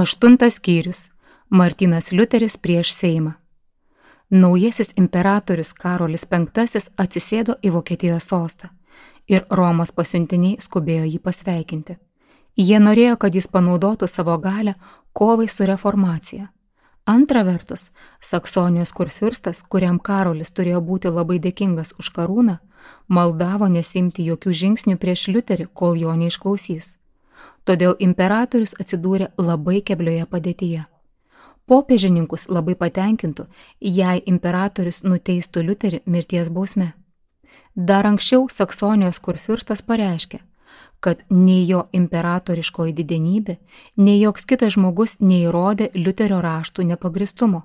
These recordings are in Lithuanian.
8 skyrius. Martynas Liuteris prieš Seimą. Naujasis imperatorius Karolis V atsisėdo į Vokietijos sostą ir Romos pasiuntiniai skubėjo jį pasveikinti. Jie norėjo, kad jis panaudotų savo galią kovai su reformacija. Antra vertus, Saksonijos kurfiurstas, kuriam Karolis turėjo būti labai dėkingas už karūną, maldavo nesimti jokių žingsnių prieš Liuterį, kol jo neišklausys. Todėl imperatorius atsidūrė labai keblioje padėtyje. Popiežininkus labai patenkintų, jei imperatorius nuteistų Liuterį mirties bausme. Dar anksčiau Saksonijos kurfiurstas pareiškė, kad nei jo imperatoriškoji didenybė, nei joks kitas žmogus neįrodė Liuterio raštų nepagristumo.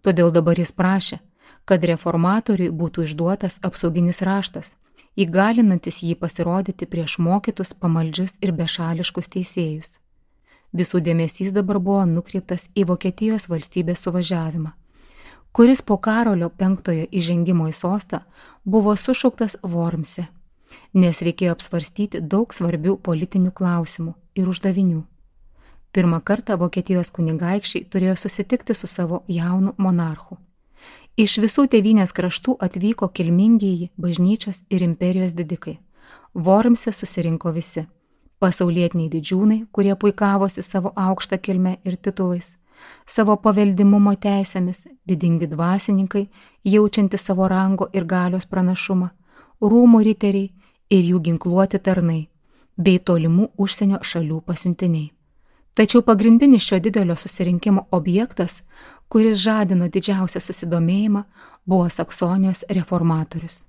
Todėl dabar jis prašė, kad reformatoriui būtų išduotas apsauginis raštas, įgalinantis jį pasirodyti prieš mokytus, pamaldžius ir bešališkus teisėjus. Visų dėmesys dabar buvo nukreiptas į Vokietijos valstybės suvažiavimą, kuris po Karolio V įžengimo į sostą buvo sušauktas Wormse, nes reikėjo apsvarstyti daug svarbių politinių klausimų ir uždavinių. Pirmą kartą Vokietijos kunigaikščiai turėjo susitikti su savo jaunu monarchu. Iš visų tėvynės kraštų atvyko kilmingieji bažnyčios ir imperijos didikai. Wormse susirinko visi – pasaulietiniai didžiūnai, kurie puikavosi savo aukštą kilmę ir titulais, savo paveldimumo teisėmis, didingi dvasininkai, jaučiantys savo rango ir galios pranašumą, rūmų riteriai ir jų ginkluoti tarnai, bei tolimų užsienio šalių pasiuntiniai. Tačiau pagrindinis šio didelio susirinkimo objektas, kuris žadino didžiausią susidomėjimą, buvo Saksonijos reformatorius.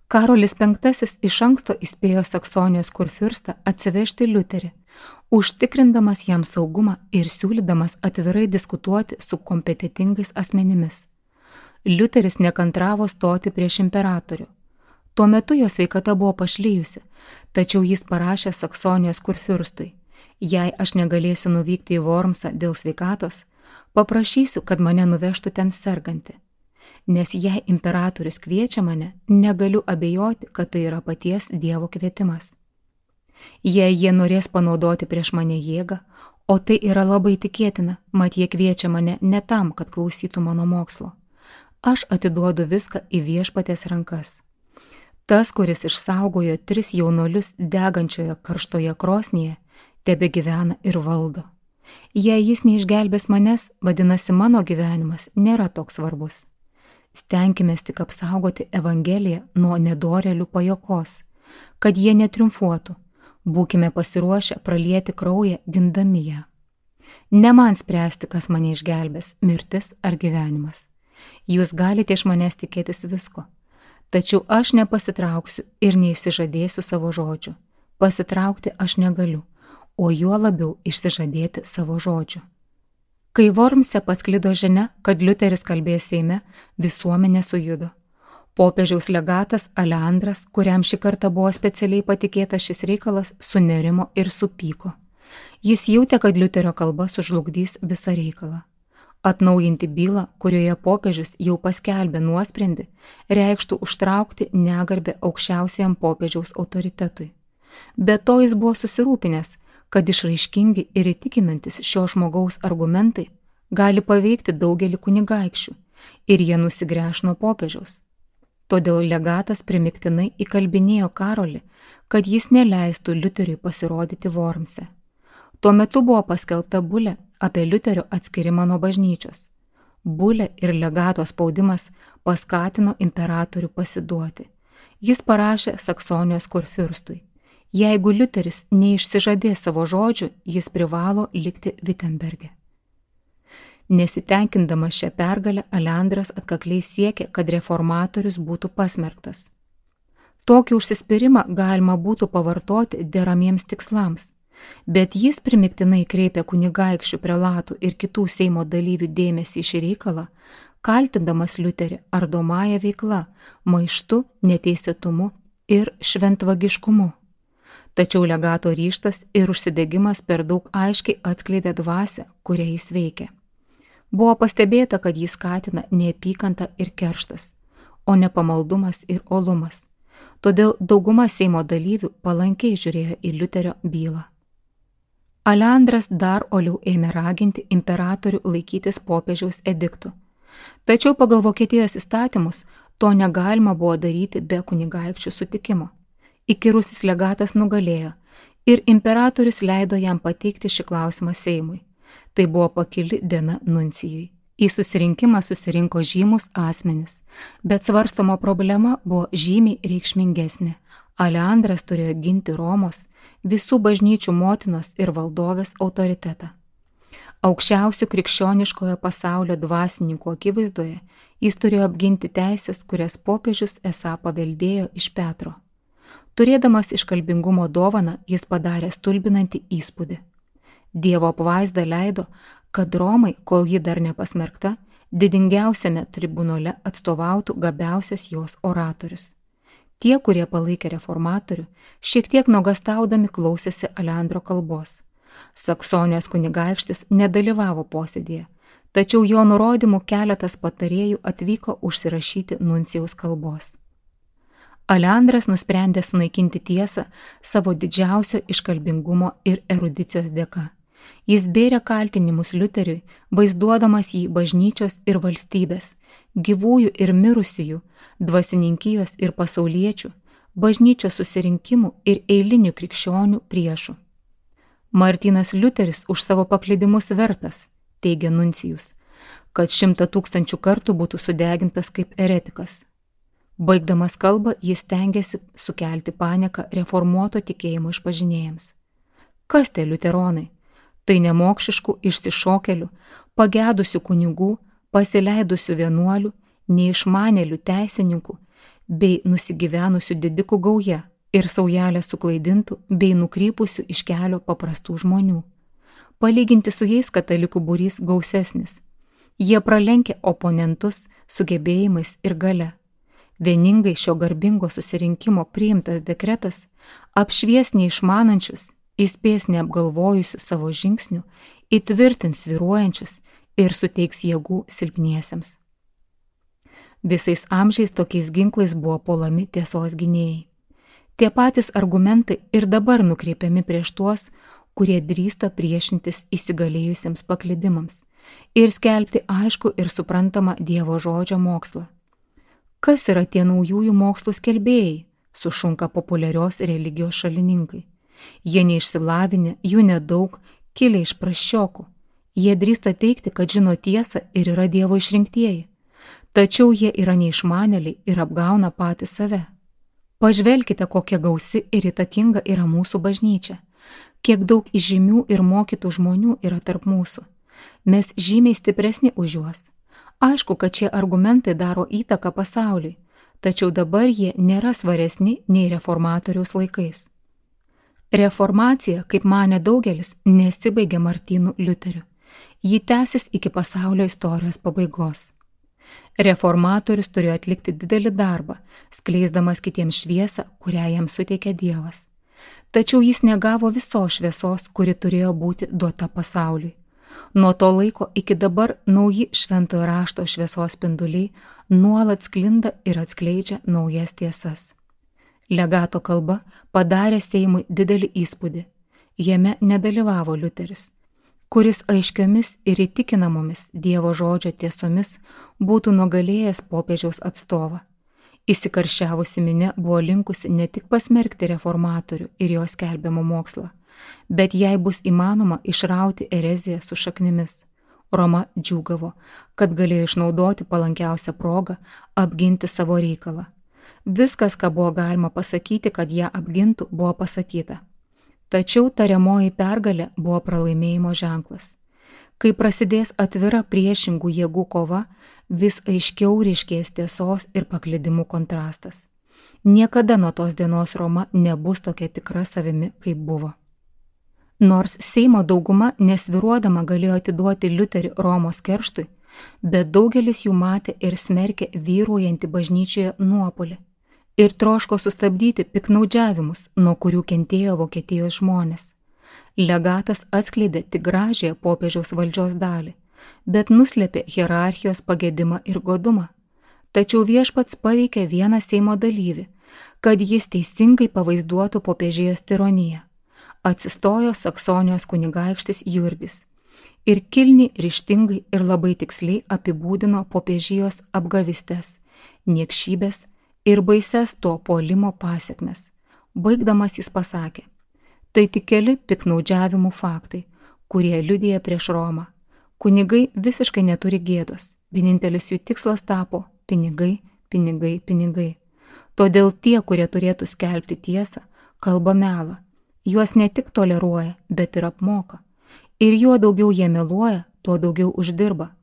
Karolis V iš anksto įspėjo Saksonijos kurfiurstą atsivežti Liuterį, užtikrindamas jam saugumą ir siūlydamas atvirai diskutuoti su kompetentingais asmenimis. Liuteris nekantravo stoti prieš imperatorių. Tuo metu jo sveikata buvo pašlijusi, tačiau jis parašė Saksonijos kurfiurstui: jei aš negalėsiu nuvykti į Wormsą dėl sveikatos, paprašysiu, kad mane nuvežtų ten sergantį. Nes jei imperatorius kviečia mane, negaliu abejoti, kad tai yra paties Dievo kvietimas. Jei jie norės panaudoti prieš mane jėgą, o tai yra labai tikėtina, mat jie kviečia mane ne tam, kad klausytų mano mokslo, aš atiduodu viską į viešpaties rankas. Tas, kuris išsaugojo 3 jaunuolius degančioje karštoje krosnyje, tebegyvena ir valdo. Jei jis neišgelbės manęs, vadinasi, mano gyvenimas nėra toks svarbus. Stenkimės tik apsaugoti Evangeliją nuo nedorėlių pajokos, kad jie netriumfuotų. Būkime pasiruošę pralieti kraują gindami ją. Ne man spręsti, kas mane išgelbės, mirtis ar gyvenimas. Jūs galite iš manęs tikėtis visko, tačiau aš nepasitrauksiu ir neišsižadėsiu savo žodžių. Pasitraukti aš negaliu, o juo labiau išsižadėti savo žodžių. Kai Wormse pasklido žinia, kad Liuteris kalbės Seime, visuomenė sujudo. Popiežiaus legatas Aleandras, kuriam šį kartą buvo specialiai patikėtas šis reikalas, sunerimo ir supyko. Jis jautė, kad Liuterio kalba sužlugdys visą reikalą. Atnaujinti bylą, kurioje popiežius jau paskelbė nuosprendį, reikštų užtraukti negarbę aukščiausiam popiežiaus autoritetui. Be to jis buvo susirūpinęs, kad išraiškingi ir įtikinantis šio žmogaus argumentai gali paveikti daugelį kunigaikščių ir jie nusigręš nuo popiežiaus. Todėl legatas primiktinai įkalbinėjo Karolį, kad jis neleistų Liuteriui pasirodyti Wormse. Tuo metu buvo paskelbta bulė apie Liuterio atskirimą nuo bažnyčios. Bulė ir legato spaudimas paskatino imperatorių pasiduoti. Jis parašė Saksonijos kurfiurstui: jeigu Liuteris neišsižadės savo žodžių, jis privalo likti Wittenberge. Nesitenkindamas šią pergalę, Aleandras atkakliai siekė, kad reformatorius būtų pasmerktas. Tokį užsispyrimą galima būtų pavartoti deramiems tikslams, bet jis primiktinai kreipė kunigaikščių, prelatų ir kitų Seimo dalyvių dėmesį į šį reikalą, kaltindamas Liuterį ardomąja veikla, maištu, neteisėtumu ir šventvagiškumu. Tačiau legato ryžtas ir užsidegimas per daug aiškiai atskleidė dvasią, kurią jis veikė. Buvo pastebėta, kad jis skatina neapykantą ir kerštas, o ne pamaldumas ir uolumas. Todėl dauguma Seimo dalyvių palankiai žiūrėjo į Liuterio bylą. Aleandras dar oliau ėmė raginti imperatorių laikytis popiežiaus ediktų. Tačiau pagal Vokietijos įstatymus to negalima buvo daryti be kunigaikščių sutikimo. Įkyrusis legatas nugalėjo ir imperatorius leido jam pateikti šį klausimą Seimui. Tai buvo pakili diena nuncijui. Į susirinkimą susirinko žymus asmenys, bet svarstoma problema buvo žymiai reikšmingesnė. Aleandras turėjo ginti Romos, visų bažnyčių motinos ir valdovės autoritetą. Aukščiausių krikščioniškojo pasaulio dvasininkų akivaizdoje jis turėjo apginti teisės, kurias popiežius esą paveldėjo iš Petro. Turėdamas iškalbingumo dovaną, jis padarė stulbinantį įspūdį. Dievo apvaizda leido, kad Romai, kol ji dar nepasmerkta, didingiausiame tribunole atstovautų gabiausias jos oratorius. Tie, kurie palaikė reformatorių, šiek tiek nuogastaudami klausėsi Aleandro kalbos. Saksonijos kunigaikštis nedalyvavo posėdėje, tačiau jo nurodymų keletas patarėjų atvyko užsirašyti nuncijaus kalbos. Aleandras nusprendė sunaikinti tiesą savo didžiausio iškalbingumo ir erudicijos dėka. Jis bėrė kaltinimus Liuteriui, vaizduodamas jį bažnyčios ir valstybės, gyvųjų ir mirusiųjų, dvasininkijos ir pasauliečių, bažnyčios susirinkimų ir eilinių krikščionių priešų. Martynas Liuteris už savo paklydimus vertas, teigia nuncijus, kad 100 000 kartų būtų sudegintas kaip eretikas. Baigdamas kalbą, jis stengiasi sukelti panieką reformuoto tikėjimo išpažinėjams. Kas tie liuteronai? Tai nemokšiškų išsišokelių, pagedusių kunigų, pasileidusių vienuolių, neišmanėlių teisininkų bei nusigyvenusių didikų gauja ir saujelė suklaidintų bei nukrypusių iš kelio paprastų žmonių. Palyginti su jais katalikų būrys gausesnis. Jie pralenkia oponentus sugebėjimais ir gale. Vieningai šio garbingo susirinkimo priimtas dekretas apšvies neišmanančius, įspės neapgalvojusių savo žingsnių, įtvirtins svyruojančius ir suteiks jėgų silpniesiems. Visais amžiais tokiais ginklais buvo puolami tiesos gynėjai. Tie patys argumentai ir dabar nukreipiami prieš tuos, kurie drįsta priešintis įsigalėjusiems paklydimams ir skelbti aišku ir suprantamą Dievo žodžio mokslą. Kas yra tie naujųjų mokslų skelbėjai, sušunka populiarios religijos šalininkai. Jie neišsilavinę, jų nedaug, kilę iš prasčiokų. Jie drįsta teikti, kad žino tiesą ir yra Dievo išrinktieji. Tačiau jie yra neišmanėliai ir apgauna patys save. Pažvelkite, kokia gausi ir įtakinga yra mūsų bažnyčia. Kiek daug įžymių ir mokytų žmonių yra tarp mūsų. Mes žymiai stipresni už juos. Aišku, kad šie argumentai daro įtaką pasauliui, tačiau dabar jie nėra svaresni nei reformatoriaus laikais. Reformacija, kaip manė daugelis, nesibaigė Martynu Liuteriu. Ji tęsis iki pasaulio istorijos pabaigos. Reformatorius turėjo atlikti didelį darbą, skleisdamas kitiems šviesą, kurią jam suteikė Dievas. Tačiau jis negavo visos šviesos, kuri turėjo būti duota pasauliui. Nuo to laiko iki dabar nauji šventojo rašto šviesos spinduliai nuolat sklinda ir atskleidžia naujas tiesas. Legato kalba padarė Seimui didelį įspūdį. Jame nedalyvavo Liuteris, kuris aiškiomis ir įtikinamomis Dievo žodžio tiesomis būtų nugalėjęs popiežiaus atstovą. Įsikarščiavusi minia buvo linkusi ne tik pasmerkti reformatorių ir jo skelbiamą mokslą, bet jei bus įmanoma išrauti ereziją su šaknimis. Roma džiūgavo, kad galėjo išnaudoti palankiausią progą apginti savo reikalą. Viskas, ką buvo galima pasakyti, kad ją apgintų, buvo pasakyta. Tačiau tariamoji pergalė buvo pralaimėjimo ženklas. Kai prasidės atvira priešingų jėgų kova, vis aiškiau ryškės tiesos ir paklydimų kontrastas. Niekada nuo tos dienos Roma nebus tokia tikra savimi, kaip buvo. Nors Seimo dauguma nesviruodama galėjo atiduoti Liuterį Romos kerštui, bet daugelis jų matė ir smerkė vyruojantį bažnyčioje nuopuolį ir troško sustabdyti piknaudžiavimus, nuo kurių kentėjo Vokietijos žmonės. Legatas atskleidė tik gražiąją popiežiaus valdžios dalį, bet nuslėpė hierarchijos pagedimą ir godumą. Tačiau viešpats paveikė vieną Seimo dalyvį, kad jis teisingai pavaizduotų popiežijos tironiją. atsistojo Saksonijos kunigaikštis Jurgis ir kilniai, ryžtingai ir labai tiksliai apibūdino popiežijos apgavystės, niekšybės ir baises to puolimo pasekmes. Baigdamas jis pasakė: tai tik keli piktnaudžiavimų faktai, kurie liudija prieš Romą. Kunigai visiškai neturi gėdos, vienintelis jų tikslas tapo pinigai, pinigai, pinigai. Todėl tie, kurie turėtų skelbti tiesą, kalba melą. Juos ne tik toleruoja, bet ir apmoka. Ir juo daugiau jie meluoja, tuo daugiau uždirba.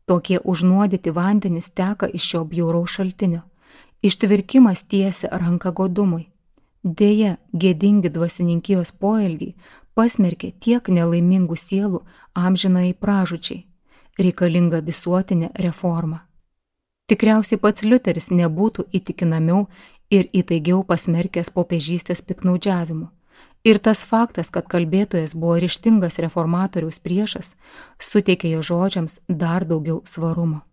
Tokie užnuodyti vandenys teka iš šio bjauraus šaltinio. Ištvirkimas tiesia ranką godumui. Deja, gėdingi dvasininkijos poelgiai pasmerkė tiek nelaimingų sielų amžinai pražūčiai. Reikalinga visuotinė reforma. Tikriausiai pats Liuteris nebūtų įtikinamiau ir įtaigiau pasmerkęs popiežystės piktnaudžiavimu. Ir tas faktas, kad kalbėtojas buvo ryžtingas reformatoriaus priešas, suteikė jo žodžiams dar daugiau svarumo.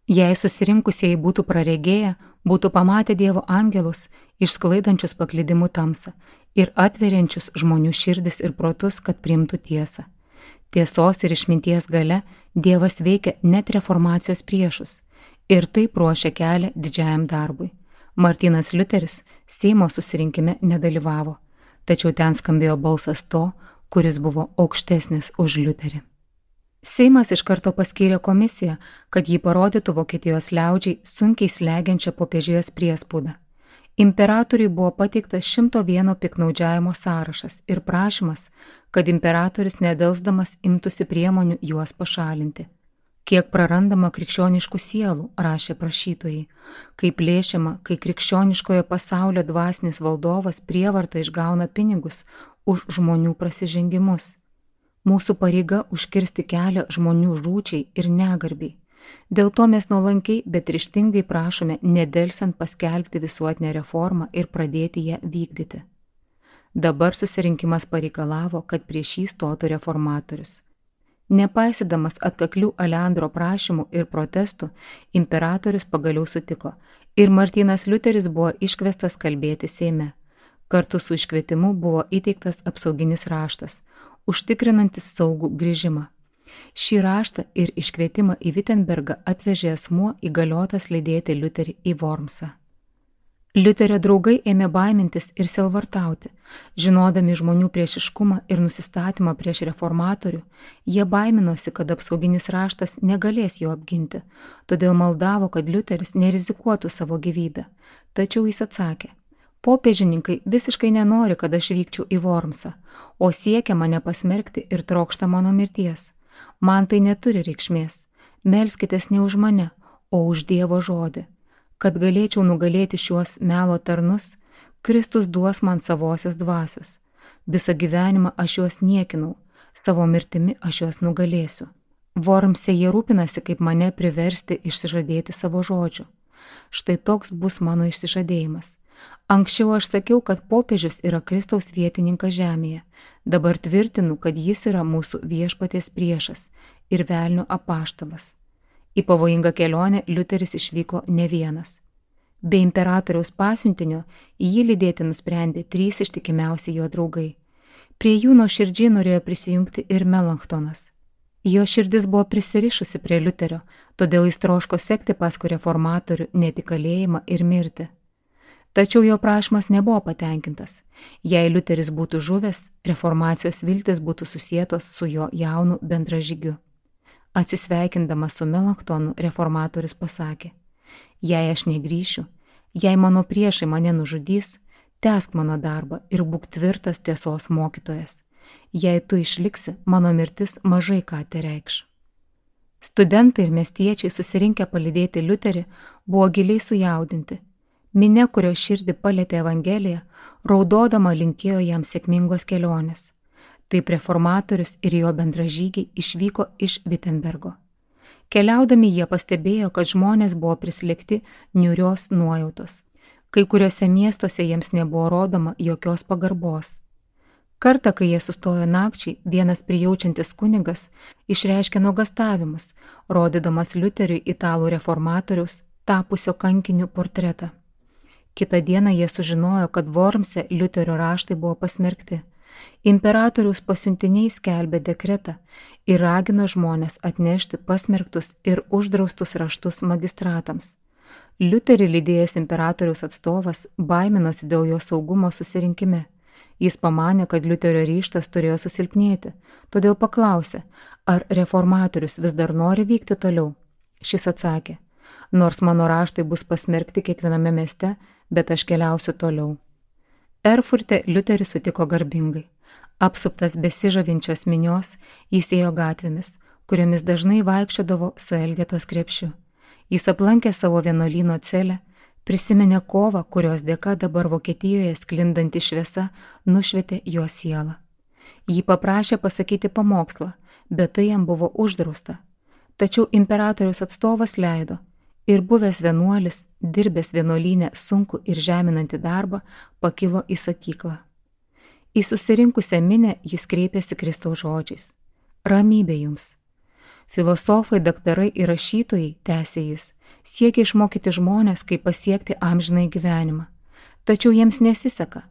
Jei susirinkusieji būtų praregėję, būtų pamatę Dievo angelus, išsklaidančius paklydimų tamsą ir atveriančius žmonių širdis ir protus, kad priimtų tiesą. Tiesos ir išminties gale Dievas veikia net reformacijos priešus ir taip ruošia kelią didžiajam darbui. Martynas Liuteris Seimo susirinkime nedalyvavo, tačiau ten skambėjo balsas to, kuris buvo aukštesnis už Liuterį. Seimas iš karto paskyrė komisiją, kad jį parodytų Vokietijos liaudžiai sunkiai slegiančią popiežijos priespaudą. Imperatoriui buvo pateiktas 101 piktnaudžiavimo sąrašas ir prašymas, kad imperatorius nedelsdamas imtųsi priemonių juos pašalinti. Kiek prarandama krikščioniškų sielų, rašė prašytojai, kaip plėšiama, kai krikščioniškojo pasaulio dvasinis valdovas prievarta išgauna pinigus už žmonių prasižengimus. Mūsų pareiga užkirsti kelią žmonių žūčiai ir negarbiai. Dėl to mes nuolankiai, bet ryžtingai prašome nedelsiant paskelbti visuotinę reformą ir pradėti ją vykdyti. Dabar susirinkimas pareikalavo, kad prieš jį stotų reformatorius. Nepaisydamas atkaklių Aleandro prašymų ir protestų, imperatorius pagaliau sutiko ir Martynas Liuteris buvo iškviestas kalbėti Seime. Kartu su iškvietimu buvo įteiktas apsauginis raštas, užtikrinantis saugų grįžimą. Šį raštą ir iškvietimą į Wittenbergą atvežė asmuo įgaliotas lydėti Liuterį į Wormsą. Liuterio draugai ėmė baimintis ir sielvartauti. Žinodami žmonių priešiškumą ir nusistatymą prieš reformatorių, jie baiminosi, kad apsauginis raštas negalės jo apginti, todėl maldavo, kad Liuteris nerizikuotų savo gyvybę. Tačiau jis atsakė: popiežininkai visiškai nenori, kad aš vykčiau į Wormsą, o siekia mane pasmerkti ir trokšta mano mirties. Man tai neturi reikšmės. Melskitės ne už mane, o už Dievo žodį. Kad galėčiau nugalėti šiuos melo tarnus, Kristus duos man savosios dvasios. Visą gyvenimą aš juos niekinau, savo mirtimi aš juos nugalėsiu. Wormse jie rūpinasi, kaip mane priversti išsižadėti savo žodžių. Štai toks bus mano išsižadėjimas. Anksčiau aš sakiau, kad popiežius yra Kristaus vietininkas žemėje. Dabar tvirtinu, kad jis yra mūsų viešpaties priešas ir velnio apaštalas. Į pavojingą kelionę Liuteris išvyko ne vienas. Be imperatoriaus pasiuntinio jį lydėti nusprendė 3 ištikimiausi jo draugai. Prie jų nuoširdžiai norėjo prisijungti ir Melanchtonas. Jo širdis buvo prisirišusi prie Liuterio, todėl jis troško sekti paskui reformatorių net į kalėjimą ir mirti. Tačiau jo prašymas nebuvo patenkintas. Jei Liuteris būtų žuvęs, reformacijos viltis būtų susietos su jo jaunu bendražygiu. Atsisveikindamas su Melanchtonu, reformatorius pasakė: jei aš negrįšiu, jei mano priešai mane nužudys, tęsk mano darbą ir būk tvirtas tiesos mokytojas. Jei tu išliksi, mano mirtis mažai ką tereikš. Studentai ir miestiečiai susirinkę palydėti Liuterį buvo giliai sujaudinti. Minia, kurio širdį palietė Evangelija, raudodama linkėjo jam sėkmingos kelionės. Taip reformatorius ir jo bendražygiai išvyko iš Wittenbergo. Keliaudami jie pastebėjo, kad žmonės buvo prislėgti niūrios nuojautos. Kai kuriuose miestuose jiems nebuvo rodoma jokios pagarbos. Kartą, kai jie sustojo nakčiai, vienas prijaučiantis kunigas išreiškė nuogąstavimus, rodydamas Liuteriui italų reformatoriaus, tapusio kankiniu portretą. Kitą dieną jie sužinojo, kad Wormse Liuterio raštai buvo pasmerkti. Imperatoriaus pasiuntiniai skelbė dekretą ir ragino žmonės atnešti pasmerktus ir uždraustus raštus magistratams. Liuterį lydėjęs imperatoriaus atstovas baiminosi dėl jo saugumo susirinkime. Jis pamanė, kad Liuterio ryžtas turėjo susilpnėti, todėl paklausė, ar reformatorius vis dar nori vykti toliau. Šis atsakė, nors mano raštai bus pasmerkti kiekviename mieste, bet aš keliausiu toliau. Erfurte Liuteris sutiko garbingai. Apsuptas besižavinčios minios, jis ėjo gatvėmis, kuriomis dažnai vaikščiodavo su Elgetos krepšiu. Jis aplankė savo vienuolyno celę, prisiminė kovą, kurios dėka dabar Vokietijoje sklindanti šviesa nušvietė jo sielą. Jį paprašė pasakyti pamokslą, bet tai jam buvo uždrausta. Tačiau imperatoriaus atstovas leido ir buvęs vienuolis, dirbęs vienuolyne sunkų ir žeminantį darbą, pakilo į sakyklą. Į susirinkusią minią jis kreipėsi Kristaus žodžiais. Ramybė jums. Filosofai, daktarai ir rašytojai, tęsė jis, siekia išmokyti žmonės, kaip pasiekti amžinai gyvenimą. Tačiau jiems nesiseka.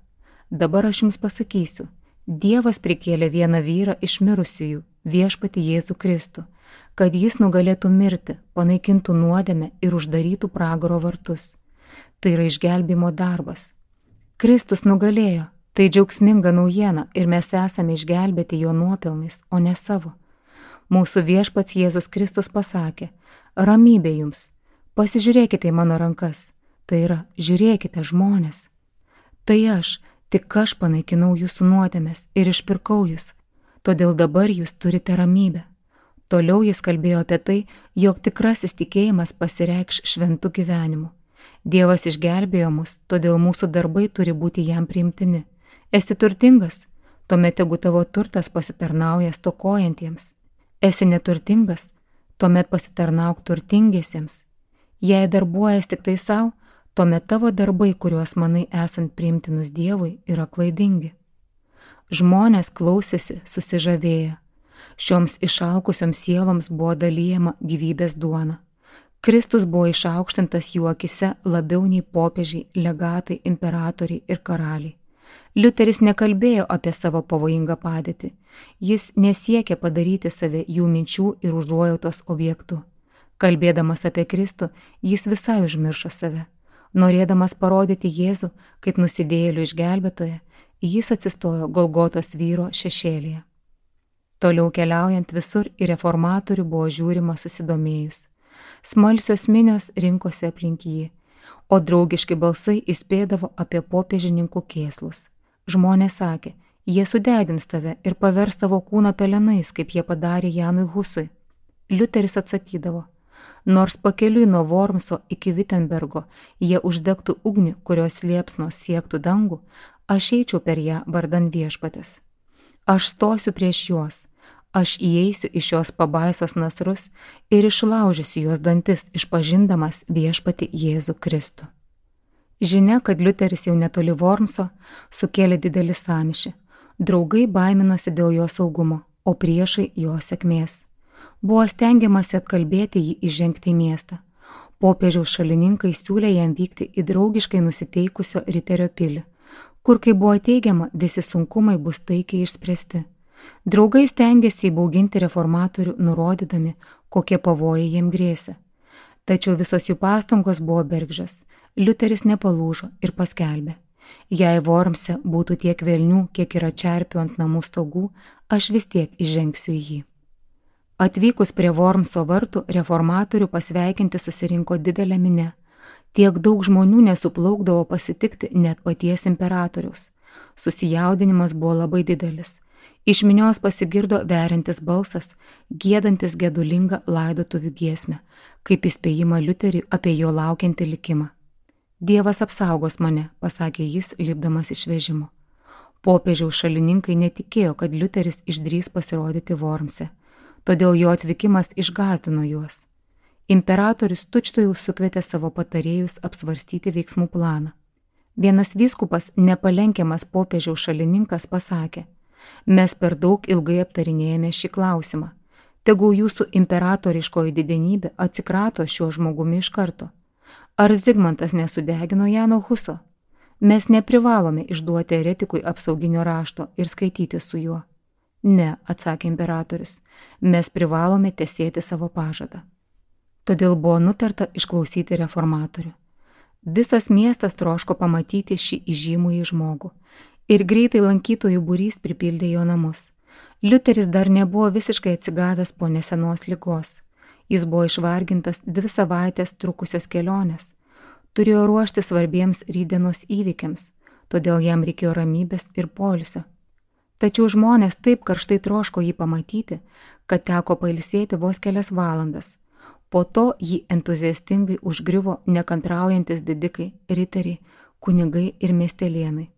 Dabar aš jums pasakysiu. Dievas prikėlė vieną vyrą iš mirusiųjų, viešpatį Jėzų Kristų, kad jis nugalėtų mirti, panaikintų nuodėmę ir uždarytų pragaro vartus. Tai yra išgelbėjimo darbas. Kristus nugalėjo, tai džiaugsminga naujiena ir mes esame išgelbėti jo nuopelnais, o ne savo. Mūsų viešpats Jėzus Kristus pasakė, ramybė jums, pasižiūrėkite į mano rankas, tai yra, žiūrėkite žmonės. Tai aš, tik aš panaikinau jūsų nuodėmes ir išpirkau jūs, todėl dabar jūs turite ramybę. Toliau jis kalbėjo apie tai, jog tikrasis tikėjimas pasireikš šventu gyvenimu. Dievas išgelbėjo mus, todėl mūsų darbai turi būti jam priimtini. Esi turtingas, tuomet tegu tavo turtas pasitarnauja stokojantiems. Esi neturtingas, tuomet pasitarnauk turtingiesiems. Jei darbuojas tik tai savo, tuomet tavo darbai, kuriuos manai esant priimtinus Dievui, yra klaidingi. Žmonės klausėsi susižavėję. Šioms išalkusioms sieloms buvo dalyjama gyvybės duona. Kristus buvo išaukštintas jų akise labiau nei popiežiai, legatai, imperatoriai ir karaliai. Liuteris nekalbėjo apie savo pavojingą padėtį. Jis nesiekė padaryti save jų minčių ir užuojautos objektu. Kalbėdamas apie Kristų, jis visai užmiršo save. Norėdamas parodyti Jėzų kaip nusidėjėlių išgelbėtoją, jis atsistojo Golgotos vyro šešėlyje. Toliau keliaujant visur į reformatorių buvo žiūrima susidomėjus. Smalsios minios rinkosi aplink jį, o draugiški balsai įspėdavo apie popiežininkų kėslus. Žmonės sakė, jie sudegins tave ir pavers tavo kūną pelenais, kaip jie padarė Janui Husui. Liuteris atsakydavo, nors pakeliui nuo Wormso iki Wittenbergo jie uždegtų ugnį, kurios liepsnos siektų dangų, aš eičiau per ją vardan viešpatės. Aš stosiu prieš juos, aš įeisiu į šios pabaisos nasrus ir išlaužysiu jos dantis, išpažindamas viešpatį Jėzų Kristų. Žinia, kad Liuteris jau netoli Wormso, sukėlė didelį sąmyšį. Draugai baiminosi dėl jo saugumo, o priešai jo sėkmės. Buvo stengiamasi atkalbėti jį įžengti į miestą. Popiežiaus šalininkai siūlė jam vykti į draugiškai nusiteikusio Riterio pilį, kur, kaip buvo teigiama, visi sunkumai bus taikiai išspręsti. Draugai stengėsi įbauginti reformatorių, nurodydami, kokie pavojai jiem grėsė. Tačiau visos jų pastangos buvo bergždžios. Liuteris nepalūžo ir paskelbė, jei Wormse būtų tiek velnių, kiek yra čerpių ant namų stogų, aš vis tiek įžengsiu į jį. Atvykus prie Wormso vartų, reformatorių pasveikinti susirinko didelė minia. Tiek daug žmonių nesuplaukdavo pasitikti net paties imperatoriaus. Susijaudinimas buvo labai didelis. Iš minios pasigirdo veriantis balsas, giedantis gedulingą laidotuvių giesmę, kaip įspėjimą Liuteriui apie jo laukiantį likimą. Dievas apsaugos mane, pasakė jis, lipdamas iš vežimo. Popiežiaus šalininkai netikėjo, kad Liuteris išdrys pasirodyti Wormse, todėl jo atvykimas išgąsdino juos. Imperatorius tučtuojau sukvietė savo patarėjus apsvarstyti veiksmų planą. Vienas vyskupas, nepalenkiamas popiežiaus šalininkas, pasakė, mes per daug ilgai aptarinėjame šį klausimą. Tegul jūsų imperatoriškoji didenybė atsikrato šiuo žmogumi iš karto. Ar Zigmantas nesudegino Jano Huso? Mes neprivalome išduoti eretikui apsauginio rašto ir skaityti su juo. Ne, atsakė imperatorius, mes privalome tesėti savo pažadą. Todėl buvo nutarta išklausyti reformatorių. Visas miestas troško pamatyti šį įžymųjį žmogų ir greitai lankytojų būrys pripildė jo namus. Liuteris dar nebuvo visiškai atsigavęs po nesenos ligos. Jis buvo išvargintas 2 savaitės trukusios kelionės. Turėjo ruošti svarbiems rytdienos įvykiams, todėl jam reikėjo ramybės ir poilsio. Tačiau žmonės taip karštai troško jį pamatyti, kad teko pailsėti vos kelias valandas. Po to jį entuziastingai užgriuvo nekantraujantis didikai, riteriai, kunigai ir miestelėnai.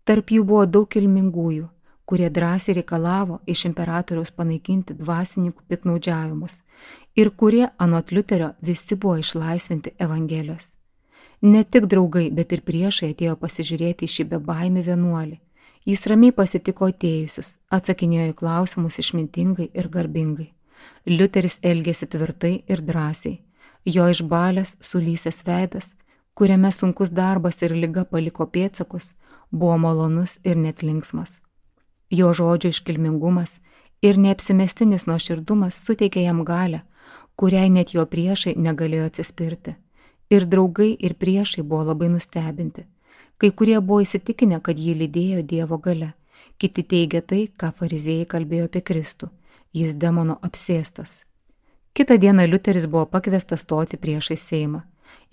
Tarp jų buvo daug kilmingųjų, kurie drąsiai reikalavo iš imperatoriaus panaikinti dvasininkų piktnaudžiavimus ir kurie anot Liuterio visi buvo išlaisvinti Evangelijos. Ne tik draugai, bet ir priešai atėjo pasižiūrėti į šį bebaimį vienuolį. Jis ramiai pasitiko atėjusius, atsakinėjo į klausimus išmintingai ir garbingai. Liuteris elgėsi tvirtai ir drąsiai. Jo išbalęs, sulysęs veidas, kuriame sunkus darbas ir liga paliko pėdsakus, buvo malonus ir net linksmas. Jo žodžio iškilmingumas ir neapsimestinis nuoširdumas suteikė jam galią, kuriai net jo priešai negalėjo atsispirti. Ir draugai, ir priešai buvo labai nustebinti. Kai kurie buvo įsitikinę, kad jį lydėjo Dievo galia. Kiti teigia tai, ką fariziejai kalbėjo apie Kristų. Jis demono apsėstas. Kitą dieną Liuteris buvo pakviestas stoti priešais Seimą.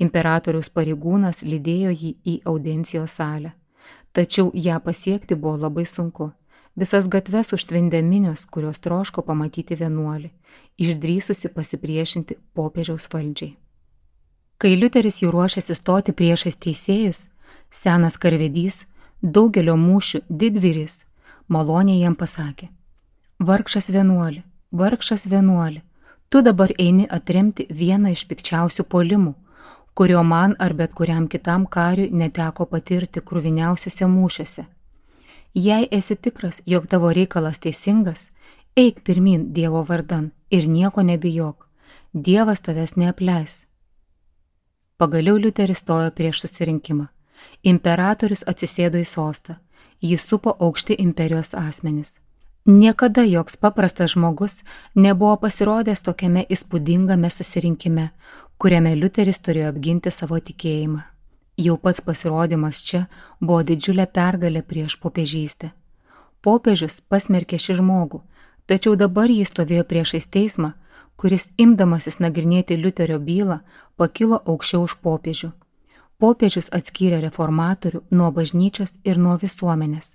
Imperatoriaus pareigūnas lydėjo jį į audiencijos salę. Tačiau ją pasiekti buvo labai sunku. Visas gatves užtvindė minios, kurios troško pamatyti vienuolį, išdrįsusi pasipriešinti popiežiaus valdžiai. Kai Liuteris jau ruošėsi stoti priešais teisėjus, senas karvedys, daugelio mūšių didvyris, maloniai jam pasakė: Vargšas vienuoli, tu dabar eini atremti vieną iš pikčiausių puolimų, kurio man ar bet kuriam kitam kariui neteko patirti kruviniausiuose mūšiuose. Jei esi tikras, jog tavo reikalas teisingas, eik pirmin Dievo vardan ir nieko nebijok, Dievas tavęs neapleis. Pagaliau Liuteris stojo prieš susirinkimą. Imperatorius atsisėdo į sostą, jį supo aukšti imperijos asmenys. Niekada joks paprastas žmogus nebuvo pasirodęs tokiame įspūdingame susirinkime, kuriame Liuteris turėjo apginti savo tikėjimą. Jau pats pasirodymas čia buvo didžiulė pergalė prieš popiežystę. Popiežius pasmerkė šį žmogų, tačiau dabar jis stovėjo priešais teismą, kuris imdamasis nagrinėti Liuterio bylą pakilo aukščiau už popiežių. Popiežius atskyrė reformatorių nuo bažnyčios ir nuo visuomenės,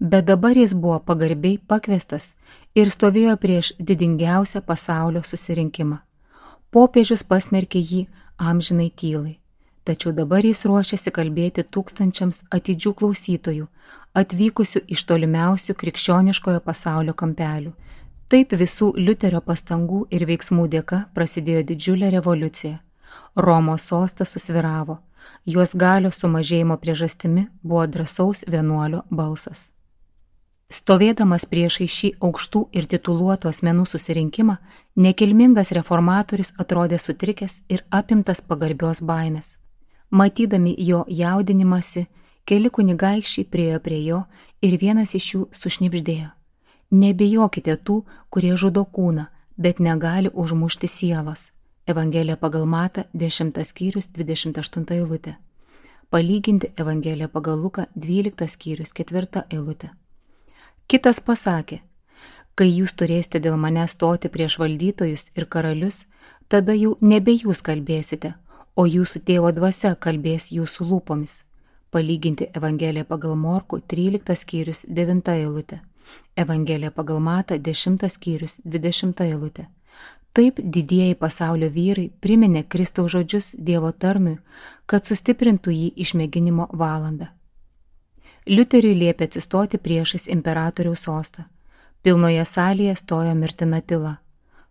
bet dabar jis buvo pagarbiai pakviestas ir stovėjo prieš didingiausią pasaulio susirinkimą. Popiežius pasmerkė jį amžinai tylai, tačiau dabar jis ruošiasi kalbėti tūkstančiams atidžių klausytojų, atvykusių iš tolimiausių krikščioniškojo pasaulio kampelių. Taip visų Liuterio pastangų ir veiksmų dėka prasidėjo didžiulė revoliucija. Romos sostas susvyravo, jos galios sumažėjimo priežastimi buvo drąsaus vienuolio balsas. Stovėdamas priešai šį aukštų ir tituluotų asmenų susirinkimą, nekilmingas reformatorius atrodė sutrikęs ir apimtas pagarbios baimės. Matydami jo jaudinimąsi, keli kunigaikščiai priėjo prie jo ir vienas iš jų sušnibždėjo: Nebijokite tų, kurie žudo kūną, bet negali užmušti sielos. Evangelija pagal Matą, 10 skyrius, 28 eilutė. Palyginti Evangeliją pagal Luką, 12 skyrius, 4 eilutė. Kitas pasakė: Kai jūs turėsite dėl mane stoti prieš valdytojus ir karalius, tada jau nebe jūs kalbėsite, o jūsų tėvo dvasia kalbės jūsų lūpomis. Palyginti Evangeliją pagal Morkų, 13 skyrius, 9 eilutė. Evangelija pagal Matą, 10 skyrius, 20 eilutė. Taip didieji pasaulio vyrai priminė Kristaus žodžius Dievo tarnui, kad sustiprintų jį išmėginimo valandą. Liuteriui liepė atsistoti priešais imperatoriaus sostą. Pilnoje salėje stojo mirtina tyla.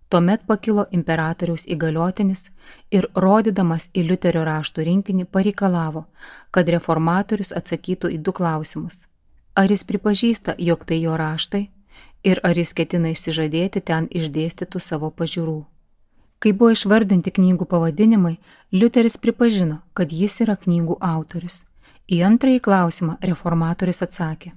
Tuomet pakilo imperatoriaus įgaliotinis ir, rodydamas į Liuterio raštų rinkinį, pareikalavo, kad reformatorius atsakytų į 2 klausimus. Ar jis pripažįsta, jog tai jo raštai, ir ar jis ketina išsižadėti ten išdėstytų savo pažiūrų. Kai buvo išvardinti knygų pavadinimai, Liuteris pripažino, kad jis yra knygų autorius. Į antrąjį klausimą reformatorius atsakė: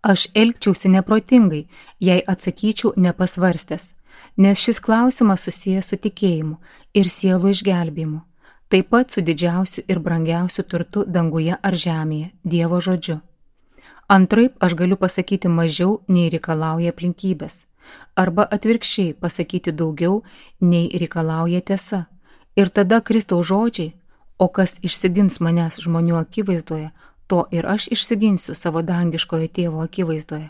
Aš elgčiausi neprotingai, jei atsakyčiau nepasvarstęs, nes šis klausimas susijęs su tikėjimu ir sielų išgelbėjimu, taip pat su didžiausiu ir brangiausiu turtu danguje ar žemėje, Dievo žodžiu. Antraip aš galiu pasakyti mažiau, nei reikalauja aplinkybės, arba atvirkščiai pasakyti daugiau, nei reikalauja tiesa. Ir tada Kristaus žodžiai, o kas išsigins manęs žmonių akivaizdoje, to ir aš išsiginsiu savo dangiškojo tėvo akivaizdoje.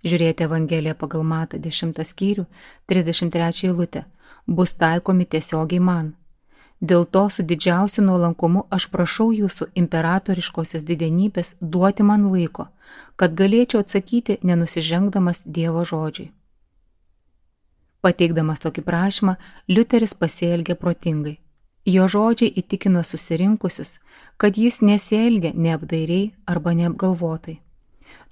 Žiūrėti Evangeliją pagal Matą 10 skyrių, 33 eilutę, bus taikomi tiesiogiai man. Dėl to su didžiausiu nuolankumu aš prašau jūsų imperatoriškosios didenybės duoti man laiko, kad galėčiau atsakyti nenusižengdamas Dievo žodžiui. Pateikdamas tokį prašymą, Liuteris pasielgė protingai. Jo žodžiai įtikino susirinkusius, kad jis nesielgia neapdairiai arba neapgalvotai.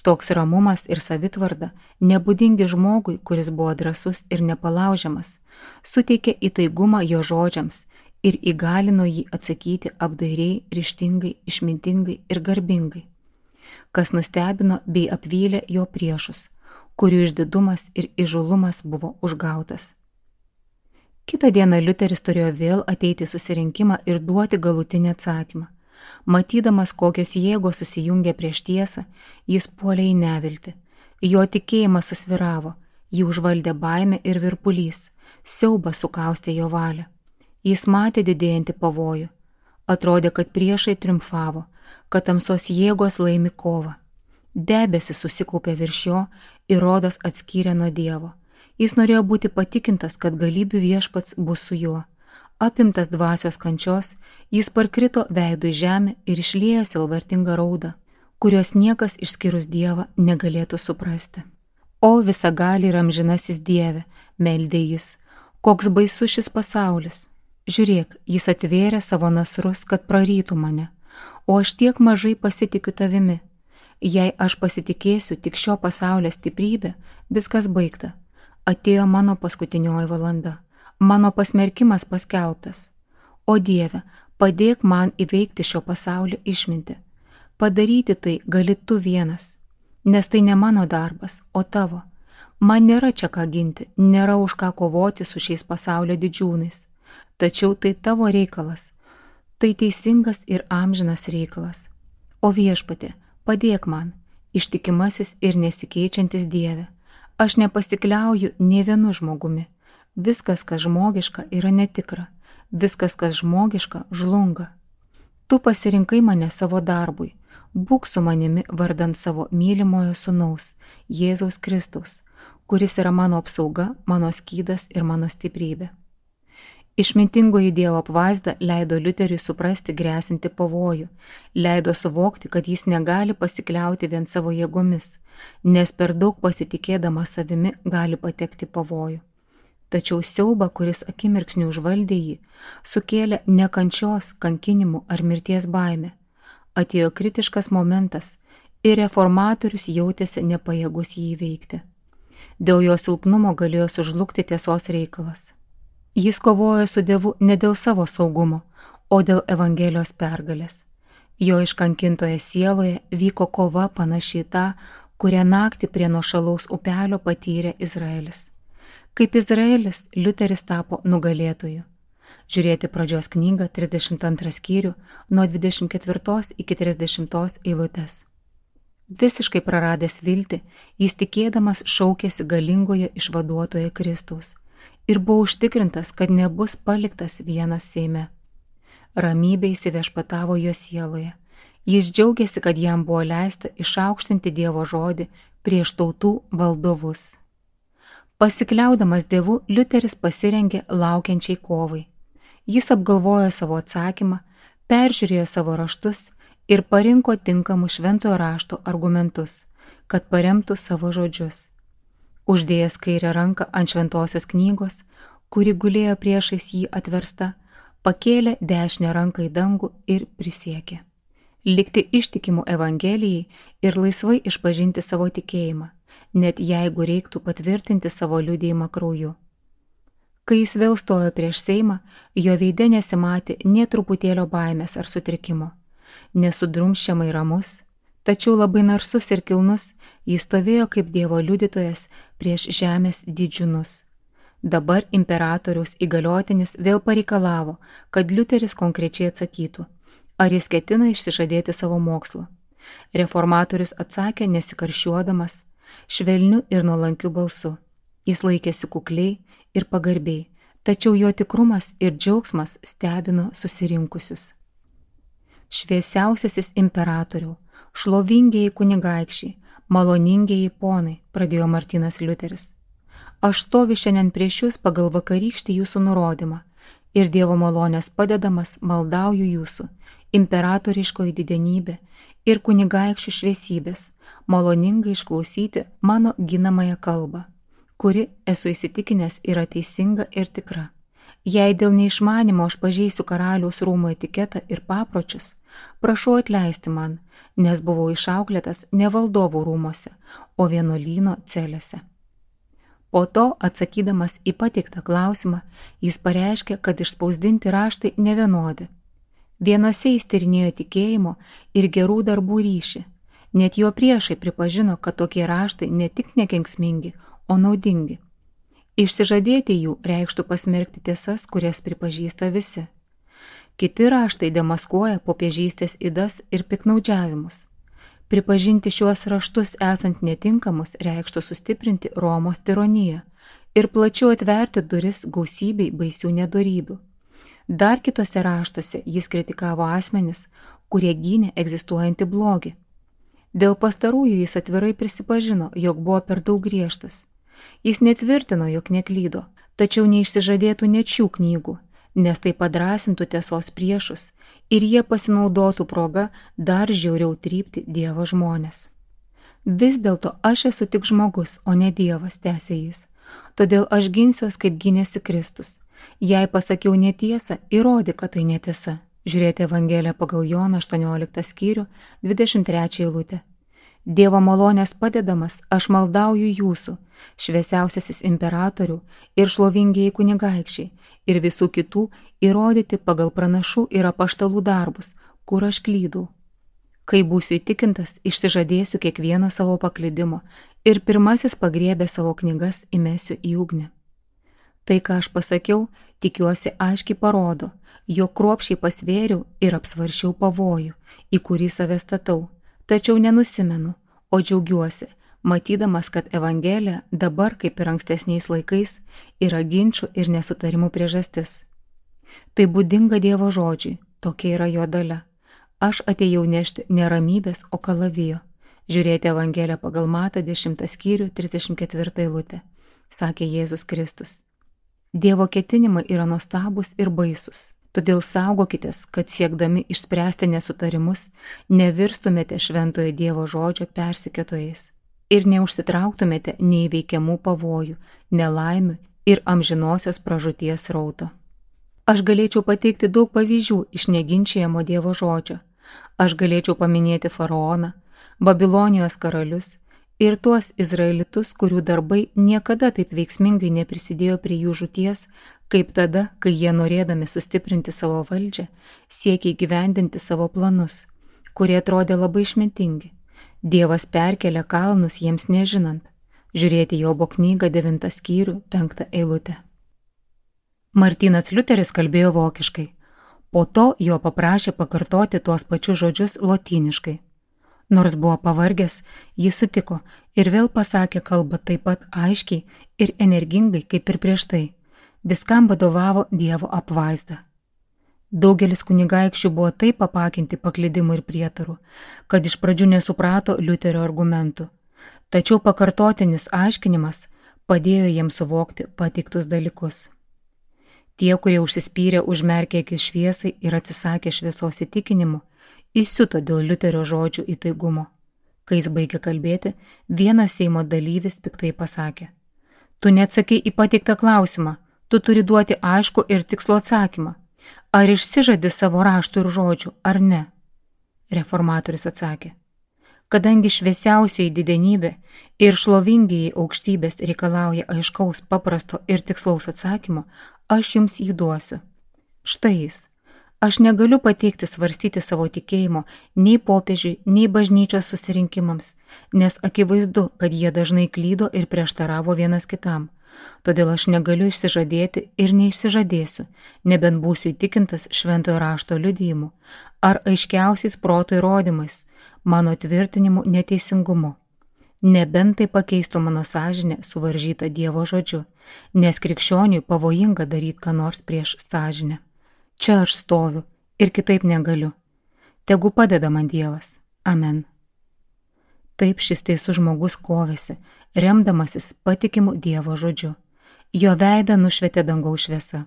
Toks ramumas ir savitvarda, nebūdingi žmogui, kuris buvo drąsus ir nepalaužiamas, suteikė įtaigumą jo žodžiams ir įgalino jį atsakyti apdairiai, ryžtingai, išmintingai ir garbingai, kas nustebino bei apvylė jo priešus, kurių išdidumas ir įžūlumas buvo užgautas. Kitą dieną Liuteris turėjo vėl ateiti į susirinkimą ir duoti galutinį atsakymą. Matydamas, kokios jėgos susijungė prieš tiesą, jis puolė į neviltį. Jo tikėjimas susvyravo, jį užvaldė baimė ir virpulys, siaubas sukaustė jo valią. Jis matė didėjantį pavojų. Atrodė, kad priešai triumfavo, kad tamsos jėgos laimi kovą. Debesis susikaupė virš jo ir rodos atskyrė nuo Dievo. Jis norėjo būti patikintas, kad galybių viešpats bus su juo. Apimtas dvasios kančios, jis parkrito veidu į žemę ir išliejo sielvartingą raudą, kurios niekas išskyrus Dievą negalėtų suprasti. O visagali ir amžinasis Dieve, meldė jis, koks baisus šis pasaulis. Žiūrėk, jis atvėrė savo nasrus, kad prarytų mane, o aš tiek mažai pasitikiu tavimi. Jei aš pasitikėsiu tik šio pasaulio stiprybė, viskas baigta. Atėjo mano paskutinioji valanda, mano pasmerkimas paskelbtas. O Dieve, padėk man įveikti šio pasaulio išmintį. Padaryti tai gali tu vienas, nes tai ne mano darbas, o tavo. Man nėra čia ką ginti, nėra už ką kovoti su šiais pasaulio didžiūnais. Tačiau tai tavo reikalas, tai teisingas ir amžinas reikalas. O Viešpatie, padėk man, ištikimasis ir nesikeičiantis Dieve. Aš nepasikliauju nė vienu žmogumi. Viskas, kas žmogiška, yra netikra. Viskas, kas žmogiška, žlunga. Tu pasirinkai mane savo darbui. Būk su manimi vardant savo mylimojo sūnaus, Jėzaus Kristaus, kuris yra mano apsauga, mano skydas ir mano stiprybė. Išmintingoji Dievo apvaizda leido Liuteriui suprasti grėsinti pavojų, leido suvokti, kad jis negali pasikliauti vien savo jėgomis, nes per daug pasitikėdamas savimi gali patekti pavojų. Tačiau siaubą, kuris akimirksniu užvaldė jį, sukėlė ne kančios, kankinimų ar mirties baimė. Atėjo kritiškas momentas ir reformatorius jautėsi nepajėgus jį įveikti. Dėl jo silpnumo galėjo sužlugti tiesos reikalas. Jis kovojo su Dievu ne dėl savo saugumo, o dėl Evangelijos pergalės. Jo iškankintoje sieloje vyko kova panašiai tą, kurią naktį prie nuošalaus upelio patyrė Izraelis. Kaip Izraelis, Liuteris tapo nugalėtoju. Žiūrėti pradžios knygą 32 skyrių nuo 24 iki 30 eilutės. Visiškai praradęs viltį, jis tikėdamas šaukėsi galingojo išvaduotojo Kristaus ir buvo užtikrintas, kad nebus paliktas vienas Seime. Ramybė įsiviešpatavo jo sieloje. Jis džiaugiasi, kad jam buvo leista išaukštinti Dievo žodį prieš tautų valdovus. Pasikliaudamas Dievu, Liuteris pasirengė laukiančiai kovai. Jis apgalvojo savo atsakymą, peržiūrėjo savo raštus ir parinko tinkamus šventojo rašto argumentus, kad paremtų savo žodžius. Uždėjęs kairę ranką ant šventosios knygos, kuri gulėjo priešais jį atversta, pakėlė dešinę ranką į dangų ir prisiekė likti ištikimu Evangelijai ir laisvai išpažinti savo tikėjimą, net jeigu reiktų patvirtinti savo liudijimą krauju. Kai jis vėl stojo prieš Seimą, jo veide nesimatė nė truputėlio baimės ar sutrikimo. Nesudrumsčiamai ramus, tačiau labai narsus ir kilnus, jis stovėjo kaip Dievo liudytojas prieš žemės didžiūnus. Dabar imperatoriaus įgaliotinis vėl pareikalavo, kad Liuteris konkrečiai atsakytų, ar jis ketina išsižadėti savo mokslo. Reformatorius atsakė nesikarščiuodamas, švelniu ir nuolankiu balsu. Jis laikėsi kukliai ir pagarbiai, tačiau jo tikrumas ir džiaugsmas stebino susirinkusius. Šviesiausiasis imperatoriau, šlovingieji kunigaikščiai, maloningieji ponai, pradėjo Martynas Liuteris. Aš stoviu šiandien prieš jūs pagal vakarykštį jūsų nurodymą ir Dievo malonės padedamas maldauju jūsų, imperatoriškoji didenybė ir kunigaikščių šviesybės, maloningai išklausyti mano ginamąją kalbą, kuri, esu įsitikinęs, yra teisinga ir tikra. Jei dėl neišmanimo aš pažeisiu karaliaus rūmų etiketą ir papročius, prašau atleisti man, nes buvau išauklėtas ne valdovų rūmose, o vienuolyno celėse. Po to, atsakydamas į pateiktą klausimą, jis pareiškė, kad išspausdinti raštai nevienodi. Vienose jis tyrinėjo tikėjimo ir gerų darbų ryšį. Net jo priešai pripažino, kad tokie raštai ne tik nekenksmingi, o naudingi. Išsižadėti jų reikštų pasmerkti tiesas, kurias pripažįsta visi. Kiti raštai demaskuoja popiežystės ydas ir piknaudžiavimus. Pripažinti šiuos raštus esant netinkamus reikštų sustiprinti Romos tironiją ir plačiau atverti duris gausybei baisių nedorybių. Dar kitose raštuose jis kritikavo asmenis, kurie gynė egzistuojantį blogį. Dėl pastarųjų jis atvirai prisipažino, jog buvo per daug griežtas. Jis netvirtino, jog neklydo, tačiau neišsižadėtų net šių knygų, nes tai padrasintų tiesos priešus ir jie pasinaudotų progą dar žiauriau trypti Dievo žmones. Vis dėlto aš esu tik žmogus, o ne Dievas, tęsė jis. Todėl aš ginsiuos, kaip gynėsi Kristus. Jei pasakiau netiesą, įrodyk, kad tai netiesa. Žiūrėti Evangeliją pagal Joną 18 skyrių, 23 eilutė. Dievo malonės padedamas, aš maldauju jūsų, šviesiausiasis imperatorių ir šlovingieji kunigaikščiai ir visų kitų įrodyti pagal pranašų ir apaštalų darbus, kur aš klydau. Kai būsiu įtikintas, išsižadėsiu kiekvieno savo paklydimo ir pirmasis pagriebę savo knygas įmesiu į ugnį. Tai, ką aš pasakiau, tikiuosi aiškiai parodo, jog kruopščiai pasvėriau ir apsvaršiau pavojų, į kurį save statau. Tačiau nenusimenu, o džiaugiuosi, matydamas, kad Evangelija dabar, kaip ir ankstesniais laikais, yra ginčių ir nesutarimų priežastis. Tai būdinga Dievo žodžiui, tokia yra jo dalia. Aš atėjau nešti ne ramybės, o kalavijo. Žiūrėti Evangeliją pagal Matą 10 skyrių 34 eilutė, sakė Jėzus Kristus. Dievo ketinimai yra nuostabūs ir baisus. Todėl saugokitės, kad siekdami išspręsti nesutarimus, nevirstumėte šventojo Dievo žodžio persekiotojais ir neužsitrauktumėte neįveikiamų pavojų, nelaimių ir amžinosios pražūties srauto. Aš galėčiau pateikti daug pavyzdžių iš neginčiamo Dievo žodžio. Aš galėčiau paminėti faraoną, Babilonijos karalius ir tuos izraelitus, kurių darbai niekada taip veiksmingai neprisidėjo prie jų žūties, kaip tada, kai jie norėdami sustiprinti savo valdžią, siekia įgyvendinti savo planus, kurie atrodė labai išmintingi. Dievas perkelia kalnus jiems nežinant. Žiūrėti Jobo knygą 9 skyrių 5 eilutę. Martynas Liuteris kalbėjo vokiškai. Po to jo paprašė pakartoti tuos pačius žodžius lotyniškai. Nors buvo pavargęs, jis sutiko ir vėl pasakė kalbą taip pat aiškiai ir energingai kaip ir prieš tai. Viskam vadovavo Dievo apvaizda. Daugelis kunigaikščių buvo taip apakinti paklydimu ir prietaru, kad iš pradžių nesuprato Liuterio argumentų. Tačiau pakartotinis aiškinimas padėjo jiems suvokti pateiktus dalykus. Tie, kurie užsispyrė, užmerkė akis šviesai ir atsisakė šviesos įtikinimu, įsiuto dėl Liuterio žodžių įtaigumo. Kai jis baigė kalbėti, vienas Seimo dalyvis piktai pasakė: Tu neatsakai į pateiktą klausimą, tu turi duoti aišku ir tikslų atsakymą. Ar išsižadi savo raštų ir žodžių, ar ne? Reformatorius atsakė: Kadangi šviesiausiai didenybė ir šlovingiai aukštybės reikalauja aiškaus, paprasto ir tikslaus atsakymo, aš jums jį duosiu. Štai jis. Aš negaliu pateikti svarstyti savo tikėjimo nei popiežiui, nei bažnyčios susirinkimams, nes akivaizdu, kad jie dažnai klydo ir prieštaravo vienas kitam. Todėl aš negaliu išsižadėti ir neišsižadėsiu, nebent būsiu įtikintas šventojo rašto liudijimu ar aiškiausiais proto įrodymais, mano tvirtinimu neteisingumu. Nebent tai pakeistų mano sąžinę suvaržytą Dievo žodžiu, nes krikščioniui pavojinga daryti ką nors prieš sąžinę. Čia aš stoviu ir kitaip negaliu. Tegu padeda man Dievas. Amen. Taip šis teisus žmogus kovėsi, remdamasis patikimu Dievo žodžiu. Jo veidą nušvietė dangaus šviesa.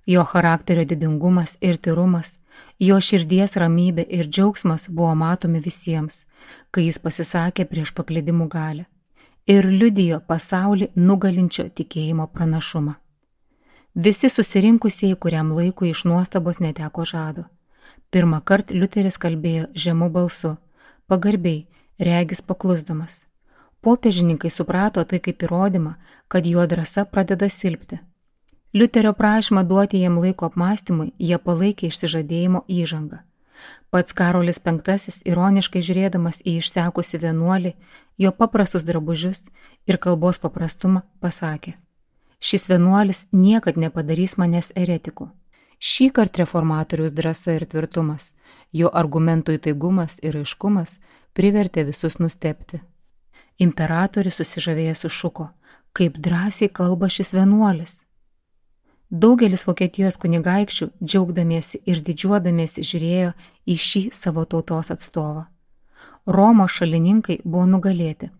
Jo charakterio didingumas ir tyrumas, jo širdies ramybė ir džiaugsmas buvo matomi visiems, kai jis pasisakė prieš paklydimų galią ir liudijo pasaulį nugalinčio tikėjimo pranašumą. Visi susirinkusieji kuriam laikui iš nuostabos neteko žado. Pirmą kartą Liuteris kalbėjo žemu balsu, pagarbiai, regis paklusdamas. Popiežininkai suprato tai kaip įrodymą, kad jo drąsa pradeda silpti. Liuterio prašymą duoti jam laiko apmąstymui jie palaikė išsižadėjimo įžangą. Pats Karolis V, ironiškai žiūrėdamas į išsekusi vienuolį, jo paprastus drabužius ir kalbos paprastumą, pasakė: šis vienuolis niekad nepadarys manęs eretiku. Šįkart reformatoriaus drąsa ir tvirtumas, jo argumentų įtaigumas ir aiškumas privertė visus nustebti. Imperatorius susižavėjęs sušuko: kaip drąsiai kalba šis vienuolis. Daugelis Vokietijos kunigaikščių, džiaugdamiesi ir didžiuodamiesi, žiūrėjo į šį savo tautos atstovą. Romos šalininkai buvo nugalėti.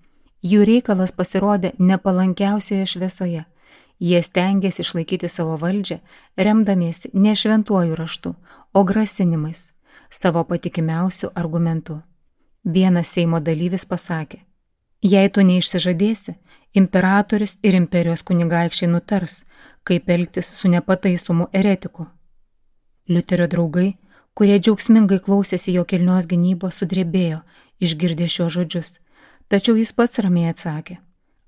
Jų reikalas pasirodė nepalankiausioje šviesoje. Jie stengėsi išlaikyti savo valdžią, remdamiesi ne šventuoju raštu, o grasinimais, savo patikimiausių argumentų. Vienas Seimo dalyvis pasakė: jei tu neišsižadėsi, imperatorius ir imperijos kunigaikščiai nutars, kaip elgtis su nepataisomu eretiku. Liuterio draugai, kurie džiaugsmingai klausėsi jo kilnios gynybos, sudrebėjo, išgirdę šios žodžius, tačiau jis pats ramiai atsakė: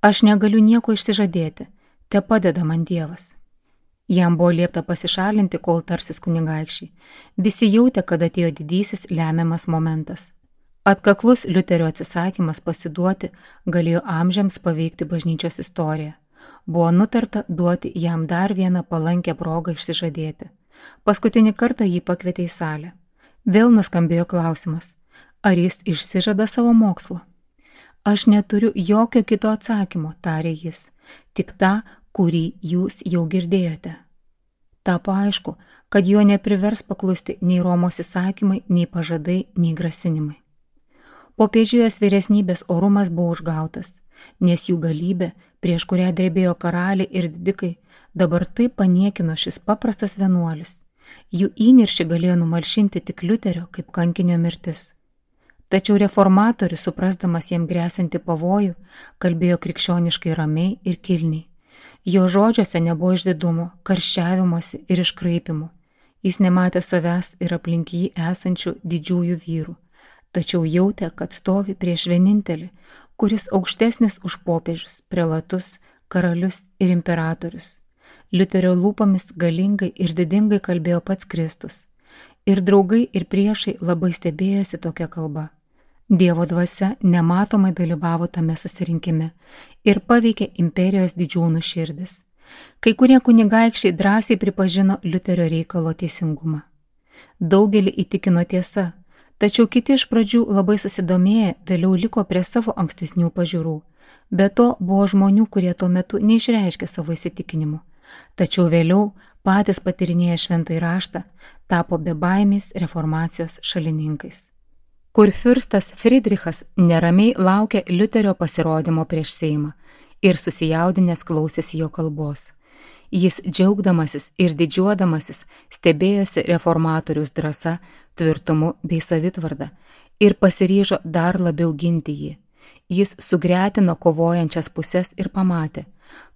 aš negaliu nieko išsižadėti, te padeda man Dievas. Jam buvo liepta pasišalinti, kol tarsis kunigaikščiai. Visi jautė, kad atėjo didysis lemiamas momentas. Atkaklus Liuterio atsisakymas pasiduoti galėjo amžiams paveikti bažnyčios istoriją. Buvo nutarta duoti jam dar vieną palankę progą išsižadėti. Paskutinį kartą jį pakvietė į salę. Vėl nuskambėjo klausimas: ar jis išsižada savo mokslo? Aš neturiu jokio kito atsakymo, tarė jis, tik tą, kurį jūs jau girdėjote. Tapo aišku, kad jo neprivers paklusti nei Romos įsakymai, nei pažadai, nei grasinimai. Popiežijos vyresnybės orumas buvo užgautas, nes jų galybė, prieš kurią drebėjo karaliai ir didikai, dabar taip paniekino šis paprastas vienuolis. Jų įniršį galėjo numalšinti tik Liuterio kaip kankinio mirtis. Tačiau reformatorius, suprasdamas jam gresiantį pavojų, kalbėjo krikščioniškai ramiai ir kilniai. Jo žodžiuose nebuvo išdidumo, karščiavimosi ir iškraipimų. Jis nematė savęs ir aplink jį esančių didžiųjų vyrų, tačiau jautė, kad stovi prieš vienintelį, kuris aukštesnis už popiežius, prelatus, karalius ir imperatorius. Liuterio lūpomis galingai ir didingai kalbėjo pats Kristus. Ir draugai, ir priešai labai stebėjosi tokia kalba. Dievo dvasia nematomai dalyvavo tame susirinkime ir paveikė imperijos didžiūnų širdis. Kai kurie kunigaikščiai drąsiai pripažino Liuterio reikalo teisingumą. Daugelį įtikino tiesa, tačiau kiti iš pradžių labai susidomėję vėliau liko prie savo ankstesnių pažiūrų. Be to buvo žmonių, kurie tuo metu neišreiškė savo įsitikinimų, tačiau vėliau patys patyrinėję šventąjį raštą tapo bebaimiais reformacijos šalininkais. Kurfiurstas Friedrichas neramiai laukė Liuterio pasirodymo prieš Seimą ir susijaudinęs klausėsi jo kalbos. Jis džiaugdamasis ir didžiuodamasis stebėjosi reformatoriaus drąsa, tvirtumu bei savitvarda ir pasiryžo dar labiau ginti jį. Jis sugretino kovojančias puses ir pamatė,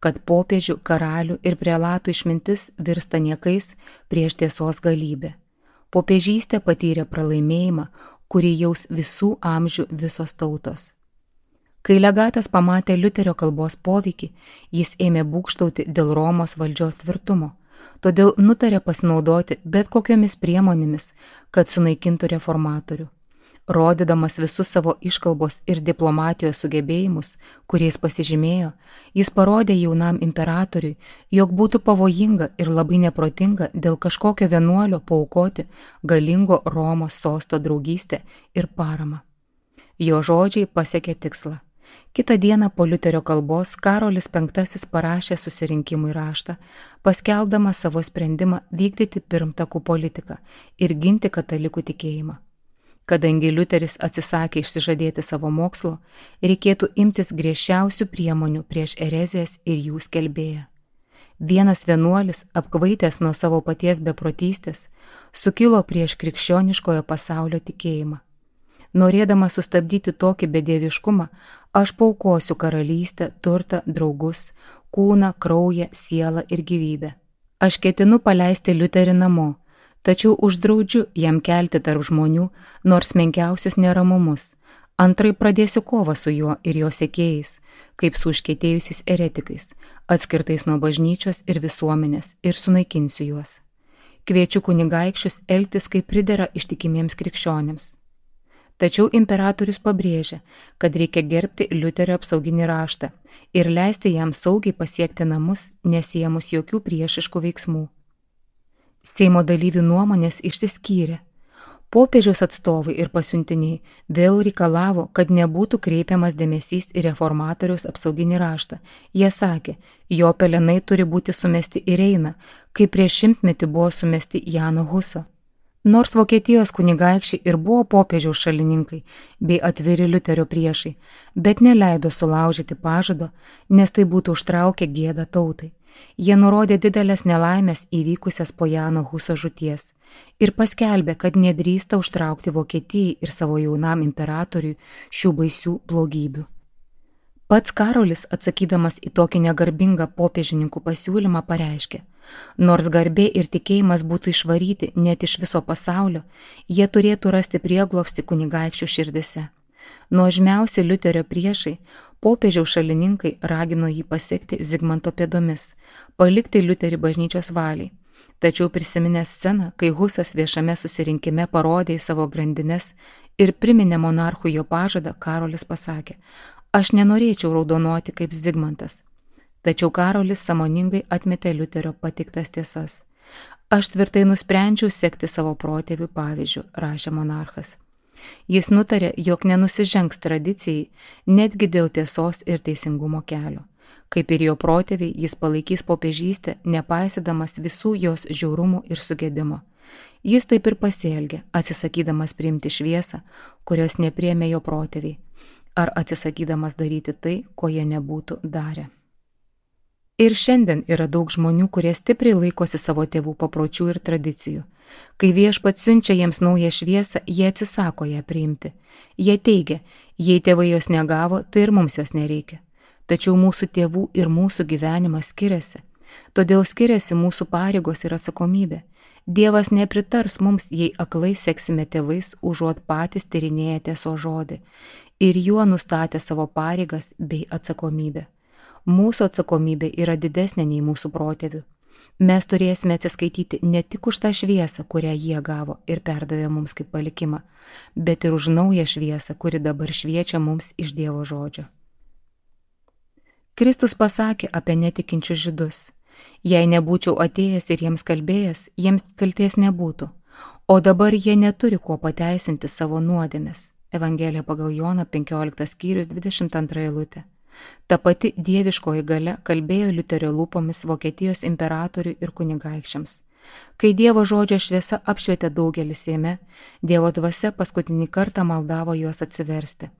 kad popiežių, karalių ir prelatų išmintis virsta niekais prieš tiesos galybę. Popiežystė patyrė pralaimėjimą, kurį jaus visų amžių visos tautos. Kai legatas pamatė Liuterio kalbos poveikį, jis ėmė būgštauti dėl Romos valdžios tvirtumo, todėl nutarė pasinaudoti bet kokiomis priemonėmis, kad sunaikintų reformatorių. Rodydamas visus savo iškalbos ir diplomatijos sugebėjimus, kuriais pasižymėjo, jis parodė jaunam imperatoriui, jog būtų pavojinga ir labai neprotinga dėl kažkokio vienuolio paaukoti galingo Romos sosto draugystę ir paramą. Jo žodžiai pasiekė tikslą. Kitą dieną po Liuterio kalbos Karolis V parašė susirinkimui raštą, paskelbdamas savo sprendimą vykdyti pirmtakų politiką ir ginti katalikų tikėjimą. Kadangi Liuteris atsisakė išsižadėti savo mokslo, reikėtų imtis griežčiausių priemonių prieš erezijas ir jų skelbėją. Vienas vienuolis, apkvaitęs nuo savo paties beprotystės, sukilo prieš krikščioniškojo pasaulio tikėjimą. Norėdamas sustabdyti tokį bedieviškumą, aš paaukosiu karalystę, turtą, draugus, kūną, kraują, sielą ir gyvybę. Aš ketinu paleisti Liuterį namo, tačiau uždraudžiu jam kelti tarp žmonių nors menkiausius neramumus. Antrai pradėsiu kovą su juo ir jo sekėjais, kaip su užkietėjusiais eretikais, atskirtais nuo bažnyčios ir visuomenės, ir sunaikinsiu juos. Kviečiu kunigaikščius elgtis kaip pridera ištikimiems krikščionėms. Tačiau imperatorius pabrėžia, kad reikia gerbti Liuterio apsauginį raštą ir leisti jam saugiai pasiekti namus, nesiemus jokių priešiškų veiksmų. Seimo dalyvių nuomonės išsiskyrė. Popiežiaus atstovai ir pasiuntiniai vėl reikalavo, kad nebūtų kreipiamas dėmesys į reformatoriaus apsauginį raštą. Jie sakė, jo pelenai turi būti sumesti į Reiną, kaip prieš 100 metų buvo sumesti Jano Huso. Nors Vokietijos kunigaikščiai ir buvo popiežiaus šalininkai bei atviri Liuterio priešai, bet neleido sulaužyti pažado, nes tai būtų užtraukę gėdą tautai. Jie nurodė didelės nelaimės įvykusias po Jano Huso žūties ir paskelbė, kad nedrįsta užtraukti Vokietijai ir savo jaunam imperatoriui šių baisių blogybių. Pats Karolis, atsakydamas į tokį negarbingą popiežininkų pasiūlymą, pareiškė, nors garbė ir tikėjimas būtų išvaryti net iš viso pasaulio, jie turėtų rasti prieglobstį kunigaikščių širdise. Nuožmiausi Liuterio priešai, popiežiaus šalininkai ragino jį pasekti Zigmanto pėdomis, palikti Liuterį bažnyčios valiai. Tačiau prisiminęs sceną, kai Husas viešame susirinkime parodė į savo grandines ir priminė monarchui jo pažadą, Karolis pasakė, aš nenorėčiau raudonuoti kaip Zigmantas. Tačiau Karolis sąmoningai atmetė Liuterio pateiktas tiesas. Aš tvirtai nusprendžiau sekti savo protėvių pavyzdžių, rašė monarchas. Jis nutarė, jog nenusižengs tradicijai, netgi dėl tiesos ir teisingumo kelio. Kaip ir jo protėviai, jis palaikys popiežystę, nepaisydamas visų jos žiaurumų ir sugėdimo. Jis taip ir pasielgė, atsisakydamas priimti šviesą, kurios nepriėmė jo protėviai, ar atsisakydamas daryti tai, ko jie nebūtų darę. Ir šiandien yra daug žmonių, kurie stipriai laikosi savo tėvų papročių ir tradicijų. Kai Viešpats siunčia jiems naują šviesą, jie atsisako ją priimti. Jie teigia, jei tėvai jos negavo, tai ir mums jos nereikia. Tačiau mūsų tėvų ir mūsų gyvenimas skiriasi. Todėl skiriasi mūsų pareigos ir atsakomybė. Dievas nepritars mums, jei aklai seksime tėvais, užuot patys tyrinėję tiesos žodį ir juo nustatę savo pareigas bei atsakomybę. Mūsų atsakomybė yra didesnė nei mūsų protėvių. Mes turėsime atsiskaityti ne tik už tą šviesą, kurią jie gavo ir perdavė mums kaip palikimą, bet ir už naują šviesą, kuri dabar šviečia mums iš Dievo žodžio. Kristus pasakė apie netikinčius žydus. Jei nebūčiau atėjęs ir jiems kalbėjęs, jiems kaltės nebūtų, o dabar jie neturi kuo pateisinti savo nuodėmės. Evangelija pagal Joną 15 skyrius 22 eilutė. Ta pati dieviškoji galia kalbėjo Liuterio lūpomis Vokietijos imperatoriui ir kunigaikščiams. Kai Dievo žodžio šviesa apšvietė daugelį Seime, Dievo dvasia paskutinį kartą maldavo juos atsiversti.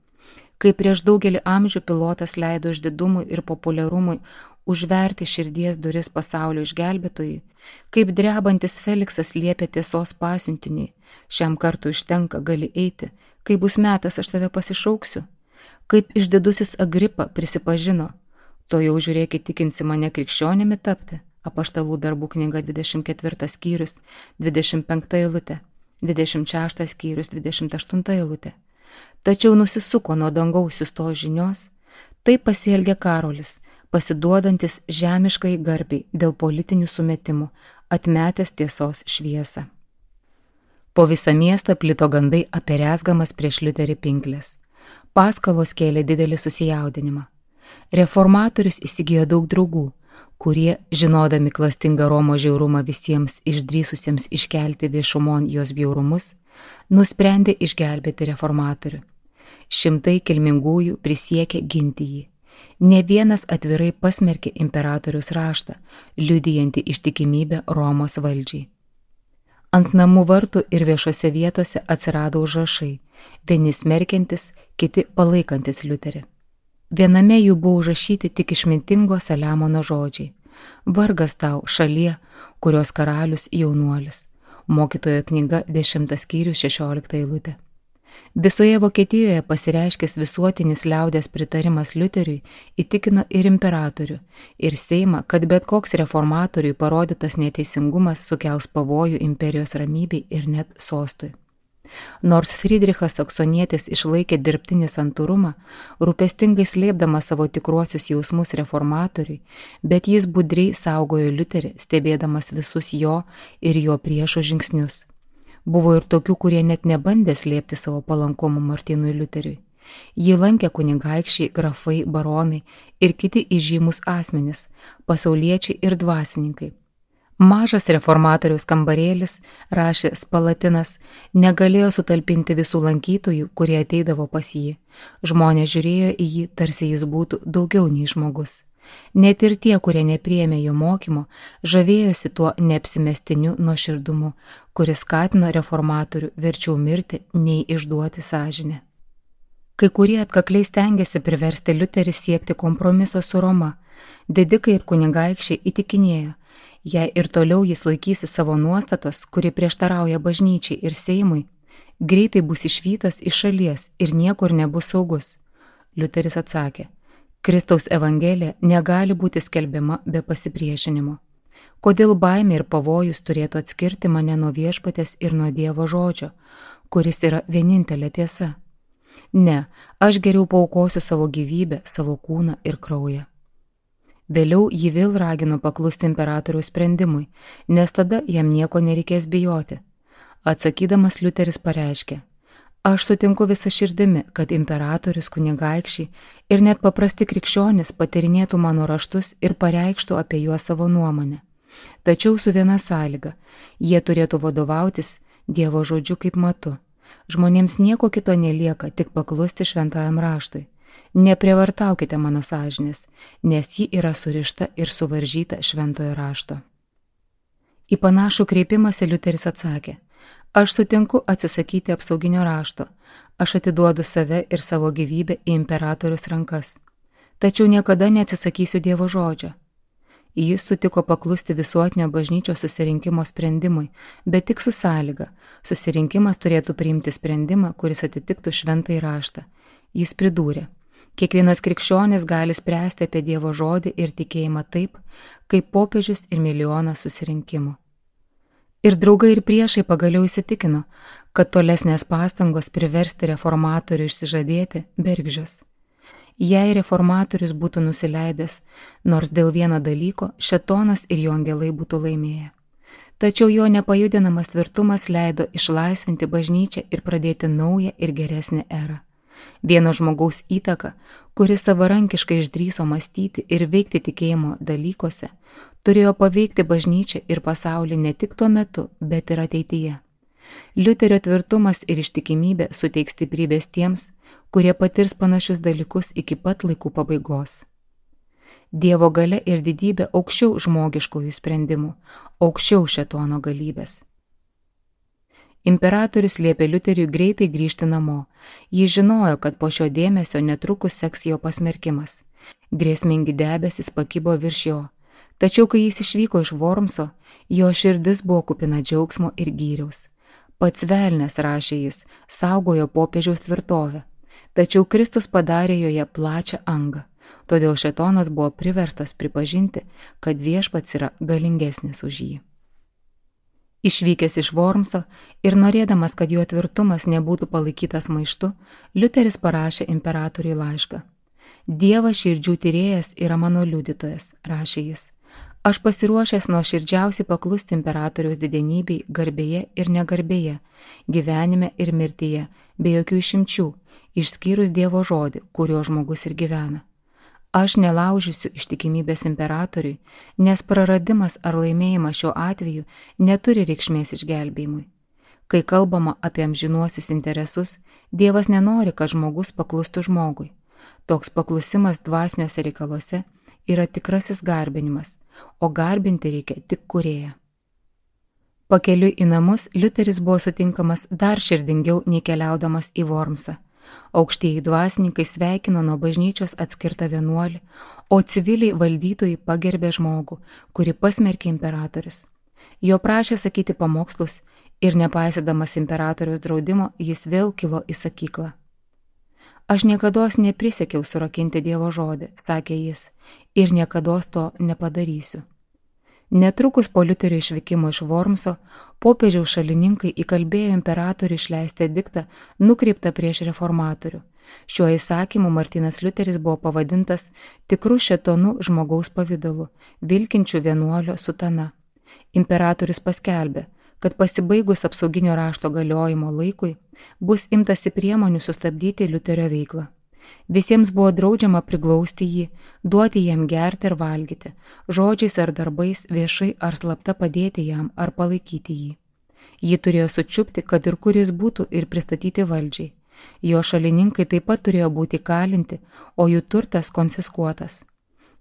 Kai prieš daugelį amžių pilotas leido išdidumui ir populiarumui užverti širdies duris pasaulio išgelbėtojui, kaip drebantis Feliksas liepė tiesos pasiuntiniui, šiam kartui užtenka, gali eiti, kai bus metas, aš tave pasišauksiu. Kaip išdidusis Agripa prisipažino, to jau žiūrėkit, tikinsi mane krikščionimi tapti, Apaštalų darbų knyga 24 skyrius 25 eilutė, 26 skyrius 28 eilutė. Tačiau nusisuko nuo dangaus siųstos žinios, taip pasielgė Karolis, pasiduodantis žemiškai garbiai dėl politinių sumetimų, atmetęs tiesos šviesą. Po visą miestą plito gandai apie rezgamas prieš Liuterį pinklės. Paskalos kėlė didelį susijaudinimą. Reformatorius įsigijo daug draugų, kurie, žinodami klastingą Romo žiaurumą visiems išdrįsusiems iškelti viešumon jos bjaurumus, nusprendė išgelbėti reformatorių. Šimtai kilmingųjų prisiekė ginti jį. Ne vienas atvirai pasmerkė imperatoriaus raštą, liudijantį ištikimybę Romos valdžiai. Ant namų vartų ir viešose vietose atsirado užrašai, vieni smerkiantis, kiti palaikantis Liuterį. Viename jų buvo užrašyti tik išmintingo Saliamono žodžiai: vargas tau, šalie, kurios karalius jaunuolis. Mokytojo knyga 10 skyrius 16 eilutė. Visoje Vokietijoje pasireiškęs visuotinis liaudės pritarimas Liuteriui įtikino ir imperatorių, ir Seimą, kad bet koks reformatoriui parodytas neteisingumas sukels pavojų imperijos ramybei ir net sostui. Nors Friedrichas Saksonietis išlaikė dirbtinį santūrumą, rūpestingai slėpdamas savo tikruosius jausmus reformatoriui, bet jis budriai saugojo Liuterį, stebėdamas visus jo ir jo priešų žingsnius. Buvo ir tokių, kurie net nebandė slėpti savo palankumo Martynui Liuteriui. Jį lankė kunigaikščiai, grafai, baronai ir kiti įžymus asmenys, pasauliečiai ir dvasininkai. Mažas reformatoriaus kambarėlis, rašė Spalatinas, negalėjo sutalpinti visų lankytojų, kurie ateidavo pas jį. Žmonės žiūrėjo į jį, tarsi jis būtų daugiau nei žmogus. Net ir tie, kurie nepriėmė jo mokymo, žavėjosi tuo neapsimestiniu nuoširdumu, kuris skatino reformatorių verčiau mirti, nei išduoti sąžinę. Kai kurie atkakliai stengiasi priversti Liuterį siekti kompromiso su Roma. Didikai ir kunigaikščiai įtikinėjo, jei ir toliau jis laikysi savo nuostatos, kuri prieštarauja bažnyčiai ir Seimui, greitai bus išvytas iš šalies ir niekur nebus saugus. Liuteris atsakė: Kristaus evangelija negali būti skelbiama be pasipriešinimo. Kodėl baimė ir pavojus turėtų atskirti mane nuo viešpatės ir nuo Dievo žodžio, kuris yra vienintelė tiesa? Ne, aš geriau paaukosiu savo gyvybę, savo kūną ir kraują. Vėliau jį vėl ragino paklusti imperatoriaus sprendimui, nes tada jam nieko nereikės bijoti. Atsakydamas Liuteris pareiškė: aš sutinku visą širdimi, kad imperatorius, kunigaikščiai ir net paprasti krikščionys patyrinėtų mano raštus ir pareikštų apie juos savo nuomonę. Tačiau su viena sąlyga: jie turėtų vadovautis Dievo žodžiu kaip matu. Žmonėms nieko kito nelieka, tik paklusti šventajam raštui. Neprievartaukite mano sąžinės, nes ji yra surišta ir suvaržyta šventojo rašto. Į panašų kreipimąsi Liuteris atsakė: aš sutinku atsisakyti apsauginio rašto, aš atiduodu save ir savo gyvybę į imperatorius rankas, tačiau niekada neatsisakysiu Dievo žodžio. Jis sutiko paklusti visuotinio bažnyčios susirinkimo sprendimui, bet tik su sąlyga: susirinkimas turėtų priimti sprendimą, kuris atitiktų šventąjį raštą. Jis pridūrė: kiekvienas krikščionis gali spręsti apie Dievo žodį ir tikėjimą taip, kaip popiežius ir milijonas susirinkimų. Ir draugai ir priešai pagaliau įsitikino, kad tolesnės pastangos priversti reformatorių išsižadėti bergždžios. Jei reformatorius būtų nusileidęs, nors dėl vieno dalyko, šėtonas ir jo angelai būtų laimėję. Tačiau jo nepajudinamas tvirtumas leido išlaisvinti bažnyčią ir pradėti naują ir geresnę erą. Vieno žmogaus įtaka, kuris savarankiškai išdrįso mąstyti ir veikti tikėjimo dalykuose, turėjo paveikti bažnyčią ir pasaulį ne tik tuo metu, bet ir ateityje. Liuterio tvirtumas ir ištikimybė suteiks stiprybės tiems, kurie patirs panašius dalykus iki pat laikų pabaigos. Dievo galia ir didybė aukščiau žmogiškųjų sprendimų, aukščiau šėtono galybės. Imperatorius liepė Liuteriui greitai grįžti namo. Jis žinojo, kad po šio dėmesio netrukus seks jo pasmerkimas. Grėsmingi debesis pakibo virš jo. Tačiau, kai jis išvyko iš Wormso, jo širdis buvo kupina džiaugsmo ir gyriaus. Pats velnias, rašė jis, saugojo popiežiaus tvirtovę, tačiau Kristus padarė joje plačią angą, todėl šėtonas buvo priverstas pripažinti, kad viešpats yra galingesnis už jį. Išvykęs iš Wormso ir norėdamas, kad jo tvirtumas nebūtų palaikytas maištu, Liuteris parašė imperatoriui laišką: Dievas širdžių tyrėjas yra mano liudytojas, rašė jis. Aš pasiruošęs nuoširdžiausiai paklusti imperatoriaus didenybei garbėje ir negarbėje, gyvenime ir mirtyje, be jokių išimčių, išskyrus Dievo žodį, kurio žmogus ir gyvena. Aš nelaužysiu ištikimybės imperatoriui, nes praradimas ar laimėjimas šiuo atveju neturi reikšmės išgelbėjimui. Kai kalbama apie amžinuosius interesus, Dievas nenori, kad žmogus paklustų žmogui. Toks paklusimas dvasiniuose reikaluose yra tikrasis garbinimas, o garbinti reikia tik kūrėją. Pakeliui į namus Liuteris buvo sutinkamas dar širdingiau nei keliaudamas į Vormsą. Aukštieji dvasininkai sveikino nuo bažnyčios atskirtą vienuolį, o civiliai valdytojai pagerbė žmogų, kurį pasmerkė imperatorius. Jo prašė sakyti pamokslus ir nepaisydamas imperatoriaus draudimo, jis vėl kilo į sakyklą. Aš niekados neprisekiau surakinti Dievo žodį, sakė jis, ir niekados to nepadarysiu. Netrukus po Liuterio išvykimo iš Vormso, popiežiaus šalininkai įkalbėjo imperatorių išleisti ediktą nukreiptą prieš reformatorių. Šiuo įsakymu Martynas Liuteris buvo pavadintas tikru šėtonu žmogaus pavidalu, vilkinčiu vienuolio sutana. Imperatorius paskelbė, kad pasibaigus apsauginio rašto galiojimo laikui bus imtasi priemonių sustabdyti Liuterio veiklą. Visiems buvo draudžiama priglausti jį, duoti jam gerti ir valgyti, žodžiais ar darbais viešai ar slapta padėti jam ar palaikyti jį. Jį turėjo sučiupti, kad ir kur jis būtų, ir pristatyti valdžiai. Jo šalininkai taip pat turėjo būti kalinti, o jų turtas konfiskuotas.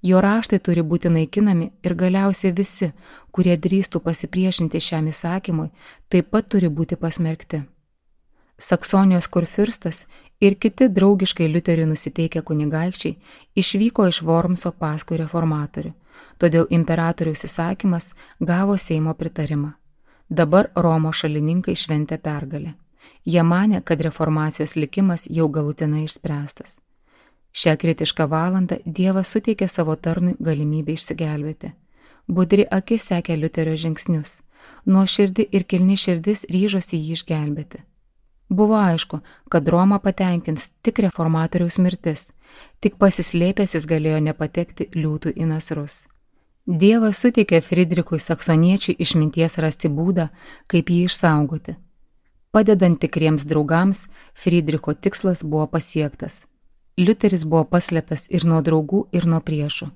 Jo raštai turi būti naikinami ir galiausiai visi, kurie drįstų pasipriešinti šiam įsakymui, taip pat turi būti pasmerkti. Saksonijos kurfiurstas ir kiti draugiškai Liuteriui nusiteikę kunigaikščiai išvyko iš Vormso paskui reformatorių, todėl imperatoriaus įsakymas gavo Seimo pritarimą. Dabar Romos šalininkai šventė pergalę. Jie manė, kad reformacijos likimas jau galutinai išspręstas. Šią kritišką valandą Dievas suteikė savo tarnui galimybę išsigelbėti. Budri akis sekė Liuterio žingsnius, nuoširdi ir kilni širdis ryžosi jį išgelbėti. Buvo aišku, kad Romą patenkins tik reformatoriaus mirtis, tik pasislėpęs jis galėjo nepatekti liūtų į nasrus. Dievas suteikė Friedrichui Saksoniečiui išminties rasti būdą, kaip jį išsaugoti. Padedant tikriems draugams, Friedricho tikslas buvo pasiektas. Liuteris buvo paslėptas ir nuo draugų, ir nuo priešų.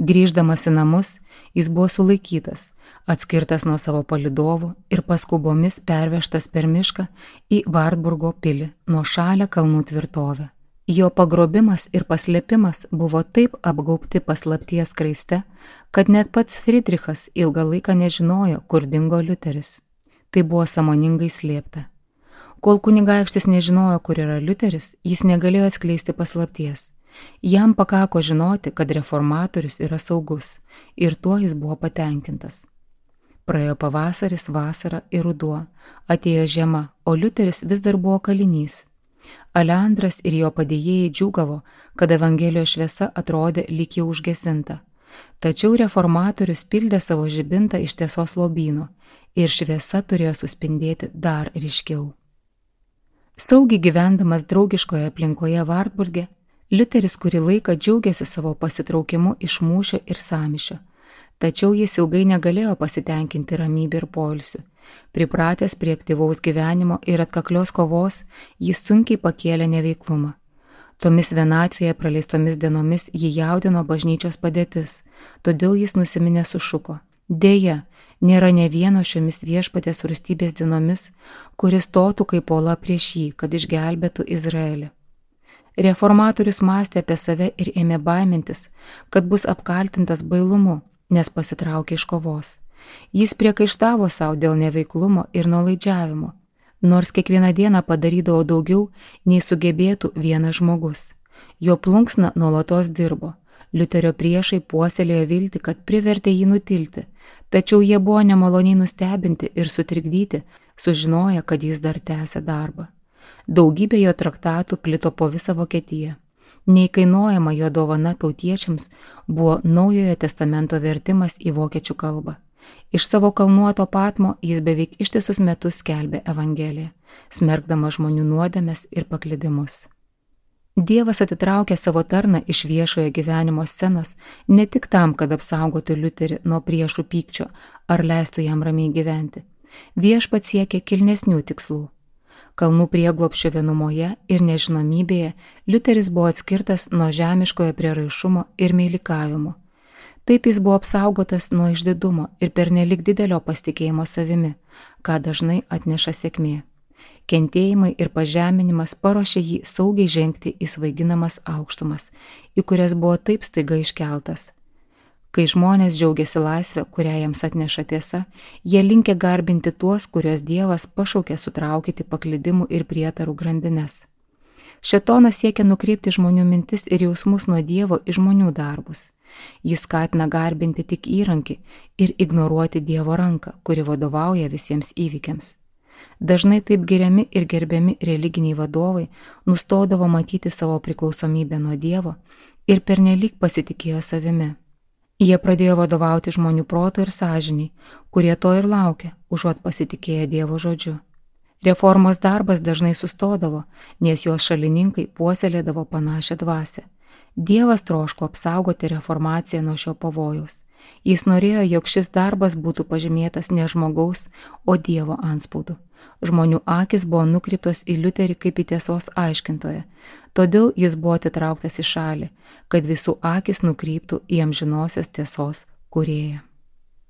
Grįždamas į namus, jis buvo sulaikytas, atskirtas nuo savo palydovų ir paskubomis pervežtas per mišką į Vartburgo pilį, nuošalią kalnų tvirtovę. Jo pagrobimas ir paslėpimas buvo taip apgaubti paslapties skraiste, kad net pats Friedrichas ilgą laiką nežinojo, kur dingo Liuteris. Tai buvo sąmoningai slėpta. Kol kunigaikštis nežinojo, kur yra Liuteris, jis negalėjo atskleisti paslapties. Jam pakako žinoti, kad reformatorius yra saugus, ir tuo jis buvo patenkintas. Praėjo pavasaris, vasara ir ruduo, atėjo žiema, o Liuteris vis dar buvo kalinys. Aleandras ir jo padėjėjai džiūgavo, kad Evangelijos šviesa atrodė lyg jau užgesinta. Tačiau reformatorius pildė savo žibintą iš tiesos lobyno ir šviesa turėjo suspindėti dar ryškiau. Saugiai gyvendamas draugiškoje aplinkoje Vartburge, Liuteris kurį laiką džiaugiasi savo pasitraukimu iš mūšio ir sąmyšio, tačiau jis ilgai negalėjo pasitenkinti ramybę ir poilsiu. Pripratęs prie aktyvaus gyvenimo ir atkaklios kovos, jis sunkiai pakėlė neveiklumą. Tomis vienatvėje praleistomis dienomis jį jaudino bažnyčios padėtis, todėl jis nusiminę sušuko: Deja, nėra ne vieno šiomis viešpatės rūstybės dienomis, kuris stotų kaip uola prieš jį, kad išgelbėtų Izraelį. Reformatorius mąstė apie save ir ėmė baimintis, kad bus apkaltintas bailumu, nes pasitraukė iš kovos. Jis priekaištavo savo dėl neveiklumo ir nuolaidžiavimo, nors kiekvieną dieną padarydavo daugiau, nei sugebėtų vienas žmogus. Jo plunksna nuolatos dirbo. Liuterio priešai puoselėjo viltį, kad privertė jį nutilti, tačiau jie buvo nemaloniai nustebinti ir sutrikdyti, sužinoję, kad jis dar tęsia darbą. Daugybė jo traktatų plito po visą Vokietiją. Neįkainojama jo dovana tautiečiams buvo Naujojo testamento vertimas į vokiečių kalbą. Iš savo kalnuoto Patmo jis beveik ištisus metus skelbė Evangeliją, smerkdamas žmonių nuodėmes ir paklydimus. Dievas atitraukė savo tarną iš viešojo gyvenimo scenos ne tik tam, kad apsaugotų Liuterį nuo priešų pykčio ar leistų jam ramiai gyventi. Viešpats siekė kilnesnių tikslų. Kalnų prieglobsčio vienumoje ir nežinomybėje Liuteris buvo atskirtas nuo žemiškojo prieraišumo ir meilikavimo. Taip jis buvo apsaugotas nuo išdidumo ir pernelyg didelio pasitikėjimo savimi, ką dažnai atneša sėkmė. Kentėjimai ir pažeminimas paruošė jį saugiai žengti į svaiginamas aukštumas, į kurias buvo taip staiga iškeltas. Kai žmonės džiaugiasi laisvę, kurią jiems atneša tiesa, jie linkę garbinti tuos, kuriuos Dievas pašaukė sutraukyti paklydimų ir prietarų grandines. Šėtonas siekia nukreipti žmonių mintis ir jausmus nuo Dievo į žmonių darbus. Jis skatina garbinti tik įrankį ir ignoruoti Dievo ranką, kuri vadovauja visiems įvykiams. Dažnai taip giriami ir gerbiami religiniai vadovai nustodavo matyti savo priklausomybę nuo Dievo ir pernelyg pasitikėjo savimi. Jie pradėjo vadovauti žmonių proto ir sąžiniai, kurie to ir laukė, užuot pasitikėję Dievo žodžiu. Reformos darbas dažnai sustodavo, nes jos šalininkai puoselėdavo panašią dvasią. Dievas troško apsaugoti reformaciją nuo šio pavojaus. Jis norėjo, jog šis darbas būtų pažymėtas ne žmogaus, o Dievo antspaudu. Žmonių akis buvo nukreiptos į Liuterį kaip į tiesos aiškintoją, todėl jis buvo atitrauktas į šalį, kad visų akis nukryptų į amžinosios tiesos kūrėją.